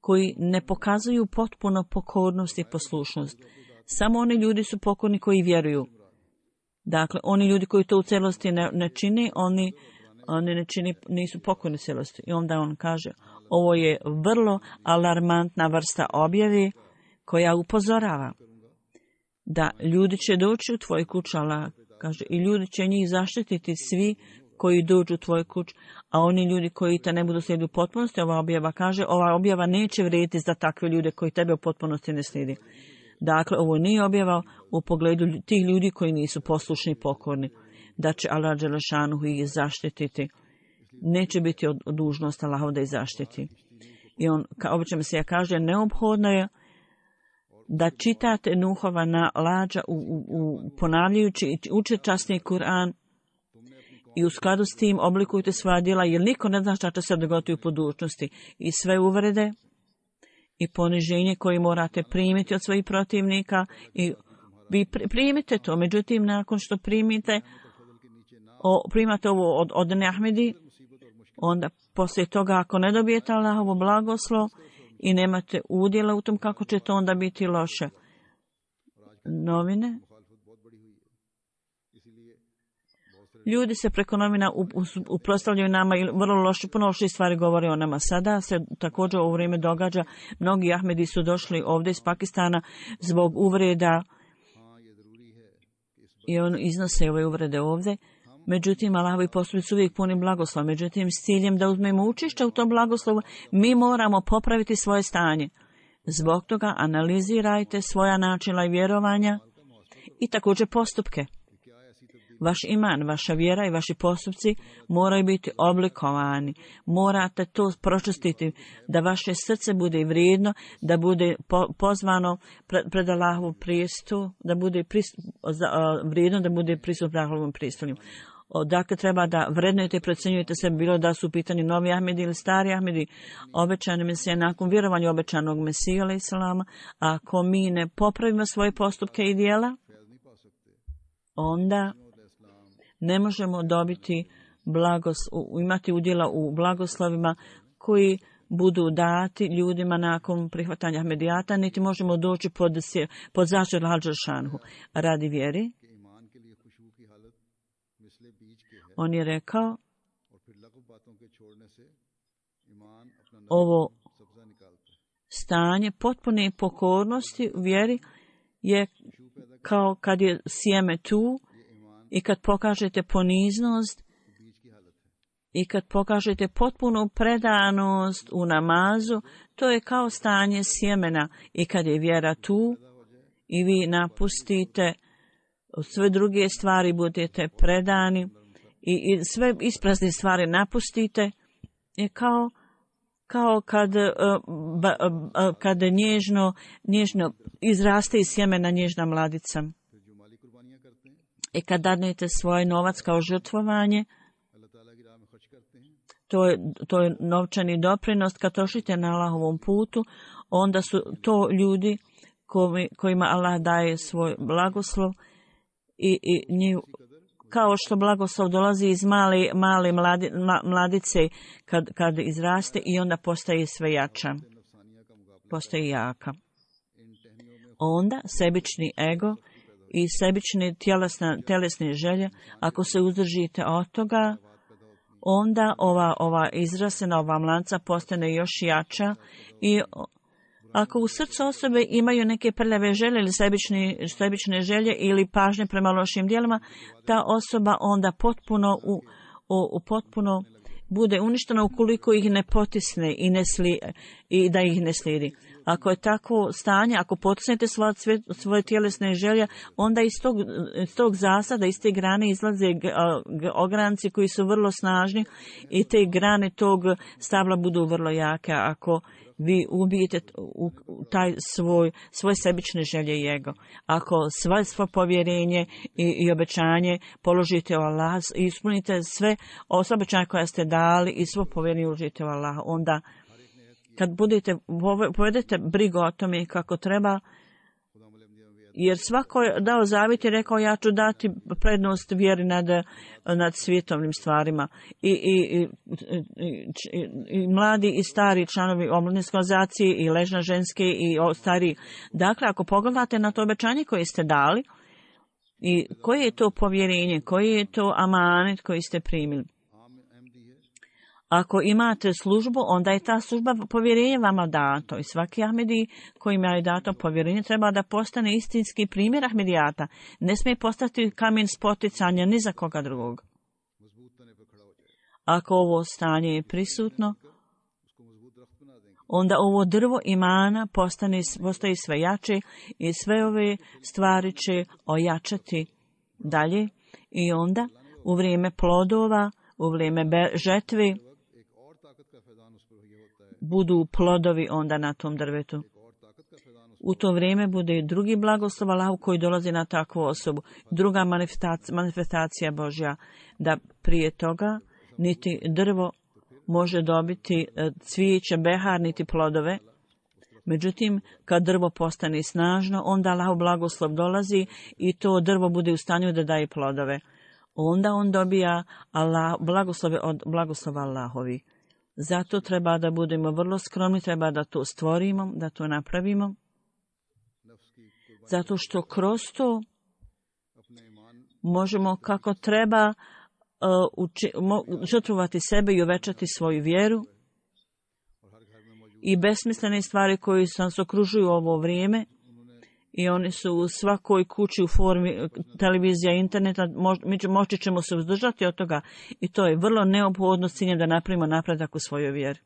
koji ne pokazuju potpuno pokornost i poslušnost. Samo oni ljudi su pokorni koji vjeruju. Dakle, oni ljudi koji to u celosti ne, ne čini, oni, oni ne čini, nisu pokorni celosti. I onda on kaže, ovo je vrlo alarmantna vrsta objave koja upozorava da ljudi će doći u tvoj kuć, Allah kaže, i ljudi će njih zaštititi svi koji dođu u tvoj kuć, a oni ljudi koji te ne budu slijediti u potpunosti, ova objava kaže, ova objava neće vrijediti za takve ljude koji tebe u potpunosti ne slijedi. Dakle, ovo nije objava u pogledu tih ljudi koji nisu poslušni i pokorni, da će Allah dželešanuhu ih zaštititi. Neće biti od, od dužnost Allahov da ih zaštiti. I on, kao obično se ja kaže, neophodno je da čitate Nuhova na lađa u, u, u ponavljajući i učite časni Kur'an i u skladu s tim oblikujte svoja djela, jer niko ne zna šta će se dogoditi u budućnosti. I sve uvrede i poniženje koje morate primiti od svojih protivnika, i vi primite to. Međutim, nakon što primite, o, primate ovo od, od Ahmedi, onda poslije toga ako ne dobijete Allahovo blagoslov i nemate udjela u tom, kako će to onda biti loše. Novine. Ljudi se preko novina uprostavljaju nama i vrlo loše, puno loše stvari govore o nama. Sada se također u vrijeme događa, mnogi Ahmedi su došli ovdje iz Pakistana zbog uvreda i on iznose ove uvrede ovdje. Međutim, Allahovi postupci su uvijek puni blagoslova. Međutim, s ciljem da uzmemo učešće u tom blagoslovu, mi moramo popraviti svoje stanje. Zbog toga analizirajte svoja načela i vjerovanja i također postupke. Vaš iman, vaša vjera i vaši postupci moraju biti oblikovani. Morate to pročistiti, da vaše srce bude vrijedno, da bude po, pozvano pred, pred Allahovom prijestu, da bude prist, za, uh, vrijedno, da bude pristup Allahovom pristolju. Dakle, treba da vrednujete i procjenjujete se, bilo da su u pitanju novi Ahmedi ili stari Ahmedi, obećani Mesija, nakon vjerovanja obećanog Mesija, alaih salama, ako mi ne popravimo svoje postupke i dijela, onda ne možemo dobiti blagos, imati udjela u blagoslovima koji budu dati ljudima nakon prihvatanja Ahmedijata, niti možemo doći pod, pod zaštitu Al-Đelšanhu. Radi vjeri, on je rekao, ovo stanje potpune pokornosti u vjeri je kao kad je sjeme tu i kad pokažete poniznost i kad pokažete potpunu predanost u namazu, to je kao stanje sjemena. I kad je vjera tu i vi napustite sve druge stvari, budete predani i, i sve isprazne stvari napustite, je kao, kao kad, kad nježno, nježno izraste iz sjemena nježna mladica. I kad dadnete svoj novac kao žrtvovanje, to je, to je novčani doprinos. Kad trošite na Allahovom putu, onda su to ljudi koji, kojima Allah daje svoj blagoslov i, i njih, kao što blagoslov dolazi iz male, male mladi, mladice kad, kad izraste i onda postaje sve jača, postaje jaka. Onda sebični ego i sebične tjelesne, tjelesne želje, ako se uzdržite od toga, onda ova, ova izrasena, ova mlanca postane još jača i ako u srcu osobe imaju neke prljave želje ili sebične, sebične želje ili pažnje prema lošim djelima, ta osoba onda potpuno, u, u, u potpuno bude uništena ukoliko ih ne potisne i, ne sli, i da ih ne slijedi. Ako je takvo stanje, ako potisnete svoje, svoje tjelesne želje, onda iz tog, iz tog zasada, iz te grane izlaze ogranci koji su vrlo snažni i te grane tog stabla budu vrlo jake. Ako vi ubijete u taj svoj, svoje sebične želje i ego, ako sve svo povjerenje i, i obećanje položite u Allah i ispunite sve obećanje koje ste dali i svo povjerenje uložite u Allah, onda kad budete, povedete brigu o tome kako treba, jer svako je dao zavjet i rekao ja ću dati prednost vjeri nad, nad svjetovnim stvarima. I, i, i, i, i mladi i stari članovi omladinske organizacije i ležna ženske i stari. Dakle, ako pogledate na to obećanje koje ste dali i koje je to povjerenje, koji je to amanet koji ste primili. Ako imate službu, onda je ta služba povjerenje vama dato. I svaki Ahmedi kojima je dato povjerenje treba da postane istinski primjer Ahmedijata. Ne smije postati kamen spoticanja ni za koga drugog. Ako ovo stanje je prisutno, onda ovo drvo imana postane, postaje sve jače i sve ove stvari će ojačati dalje. I onda u vrijeme plodova, u vrijeme žetve, budu plodovi onda na tom drvetu. U to vrijeme bude drugi blagoslov Allahu koji dolazi na takvu osobu. Druga manifestacija, manifestacija Božja, da prije toga niti drvo može dobiti cvijeće, behar, niti plodove. Međutim, kad drvo postane snažno, onda Allahu blagoslov dolazi i to drvo bude u stanju da daje plodove. Onda on dobija Allah, blagoslove od blagoslova Allahovi. Zato treba da budemo vrlo skromni, treba da to stvorimo, da to napravimo. Zato što kroz to možemo kako treba uh, uči, mo, žrtvovati sebe i uvećati svoju vjeru. I besmislene stvari koje nas okružuju u ovo vrijeme, i oni su u svakoj kući u formi televizija, interneta, moć, moći ćemo se uzdržati od toga i to je vrlo neophodno s ciljem da napravimo napredak u svojoj vjeri.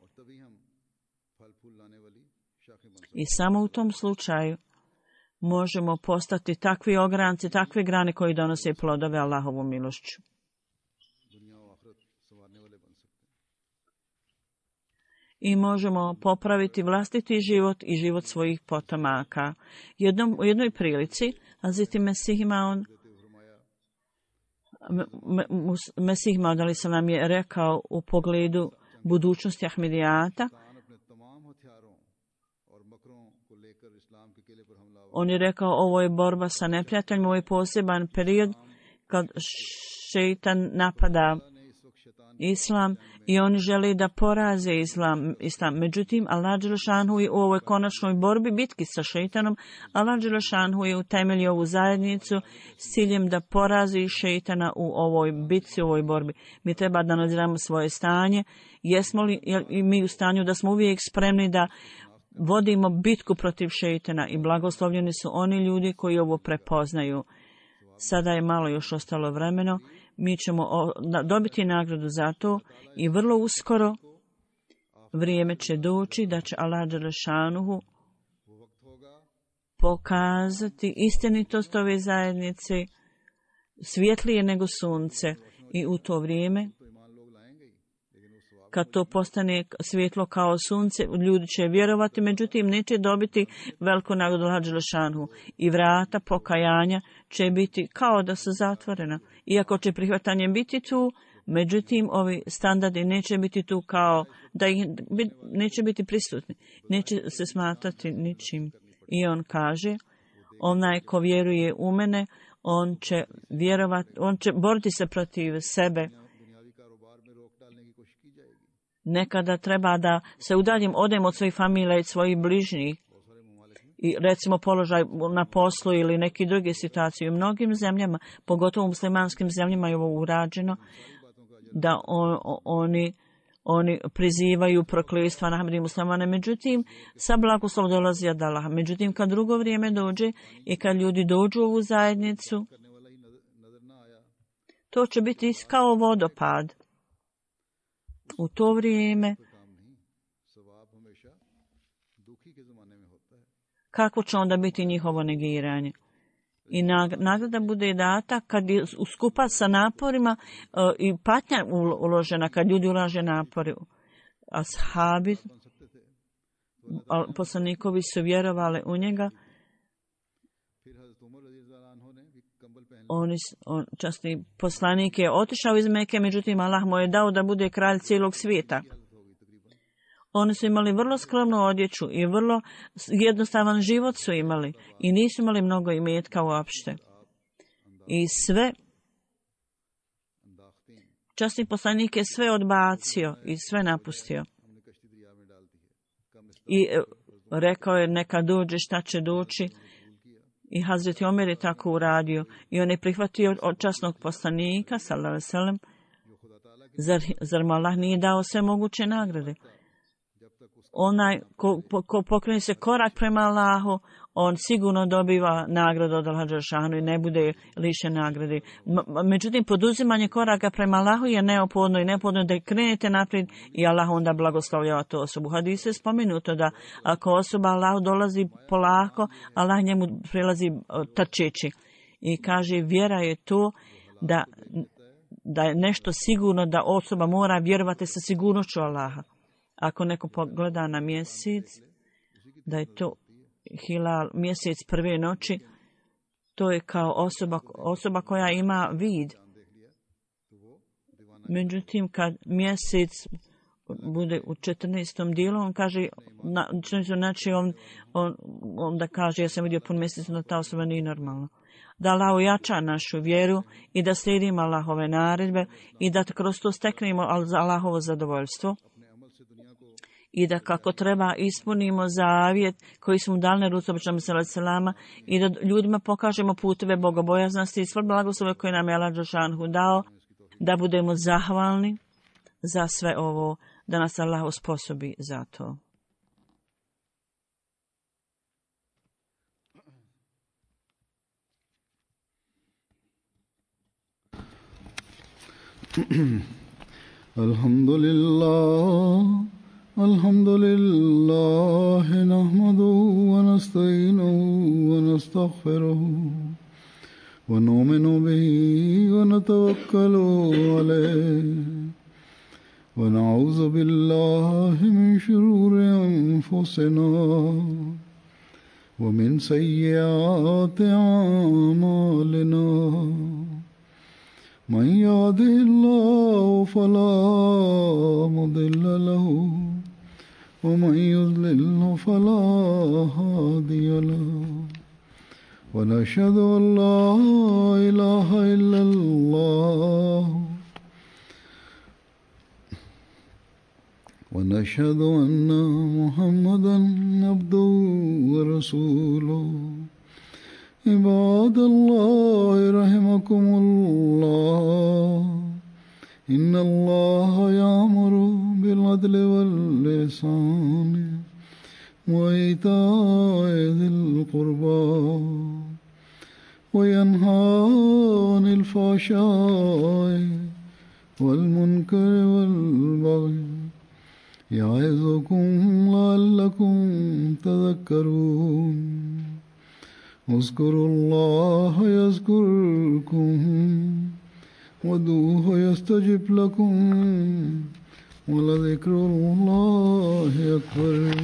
I samo u tom slučaju možemo postati takvi ogranci, takve grane koji donose plodove Allahovu milošću. I možemo popraviti vlastiti život i život svojih potomaka. Jednom, u jednoj prilici, Hazreti Mesih Maud Mesih Maud alejhi selam je rekao u pogledu budućnosti Ahmedijata. On je rekao ovo je borba sa neprijateljima, ovo je poseban period kad šeitan napada islam i oni žele da poraze islam. islam. Međutim, Allah dželešanu je u ovoj konačnoj borbi, bitki sa šeitanom, Allah dželešanu je utemeljio ovu zajednicu s ciljem da porazi šeitana u ovoj bitci, u ovoj borbi. Mi treba da nadziramo svoje stanje. Jesmo li mi u stanju da smo uvijek spremni da vodimo bitku protiv šeitana i blagoslovljeni su oni ljudi koji ovo prepoznaju. Sada je malo još ostalo vremeno. Mi ćemo dobiti nagradu za to i vrlo uskoro vrijeme će doći da će Allah dželešanuhu pokazati istinitost ove zajednice svjetlije nego sunce i u to vrijeme kad to postane svjetlo kao sunce, ljudi će vjerovati, međutim neće dobiti veliku nagradu Allah dželešanuhu i vrata pokajanja će biti kao da su zatvorena. Iako će prihvatanje biti tu, međutim ovi standardi neće biti tu kao da ih neće biti prisutni, neće se smatrati ničim. I on kaže, onaj ko vjeruje u mene, on će vjerovati, on će boriti se protiv sebe. Nekada treba da se udaljim, odem od svojih familija i svojih bližnjih i recimo položaj na poslu ili neki druge situacije. U mnogim zemljama, pogotovo u muslimanskim zemljama je ovo urađeno, da on, oni, oni prizivaju prokletstva na Ahmedi muslimane. Međutim, sa blagoslov dolazi od Allaha. Međutim, kad drugo vrijeme dođe i kad ljudi dođu u ovu zajednicu, to će biti kao vodopad. U to vrijeme kako će onda biti njihovo negiranje? I nagrada bude data kad je skupa sa naporima uh, i patnja uložena, kad ljudi ulaže napori. Ashabi, poslanikovi su vjerovali u njega. On, on, časni poslanik je otišao iz Mekke, međutim Allah mu je dao da bude kralj cijelog svijeta. Oni su imali vrlo skromnu odjeću i vrlo jednostavan život su imali i nisu imali mnogo imetka uopšte. I sve, časni poslanik je sve odbacio i sve napustio. I rekao je neka dođe šta će doći. I Hazreti Omer je tako uradio. I on je prihvatio od časnog poslanika, sallallahu alejhi ve sellem, zar, zar mu Allah nije dao sve moguće nagrade? Onaj ko, ko pokrene se korak prema Allahu, on sigurno dobiva nagradu od Allaha dželešanu i ne bude lišen nagrade. Međutim, poduzimanje koraka prema Allahu je neophodno i neophodno da krenete naprijed i Allah onda blagoslovljava tu osobu. U hadisu je spomenuto da ako osoba Allahu dolazi polako, Allah njemu prilazi trčeći. I kaže, vjera je to da, da je nešto sigurno, da osoba mora vjerovati sa sigurnošću Allaha. Ako neko pogleda na mjesec, da je to hilal, mjesec prve noći, to je kao osoba, osoba koja ima vid. Međutim, kad mjesec bude u četrnaestom dijelu, on kaže, na, znači on, on, on da kaže, ja sam vidio pun mjesec, da ta osoba nije normalna. Da Allah ojača našu vjeru i da slijedimo Allahove naredbe i da kroz to steknemo Allahovo zadovoljstvo. I da kako treba ispunimo zavjet koji smo dali na ruci običnom selama i da ljudima pokažemo puteve bogobojaznosti i sve blagoslove koje nam je Allah dželešanu dao, da budemo zahvalni za sve ovo, da nas Allah osposobi za to. Alhamdulillah. الحمد لله نحمده ونستعينه ونستغفره ونؤمن به ونتوكل عليه ونعوذ بالله من شرور أنفسنا ومن سيئات أعمالنا من يهده الله فلا مضل له ومن يضلل فلا هادي له ونشهد أن لا إله إلا الله ونشهد أن محمدا عبده ورسوله عباد الله رحمكم الله إن الله يأمر بالعدل والإحسان وإيتاء ذي القربى وينهى عن الفحشاء والمنكر والبغي يعظكم لعلكم تذكرون اذكروا الله يذكركم وادعوه يستجب لكم ولذكر الله أكبر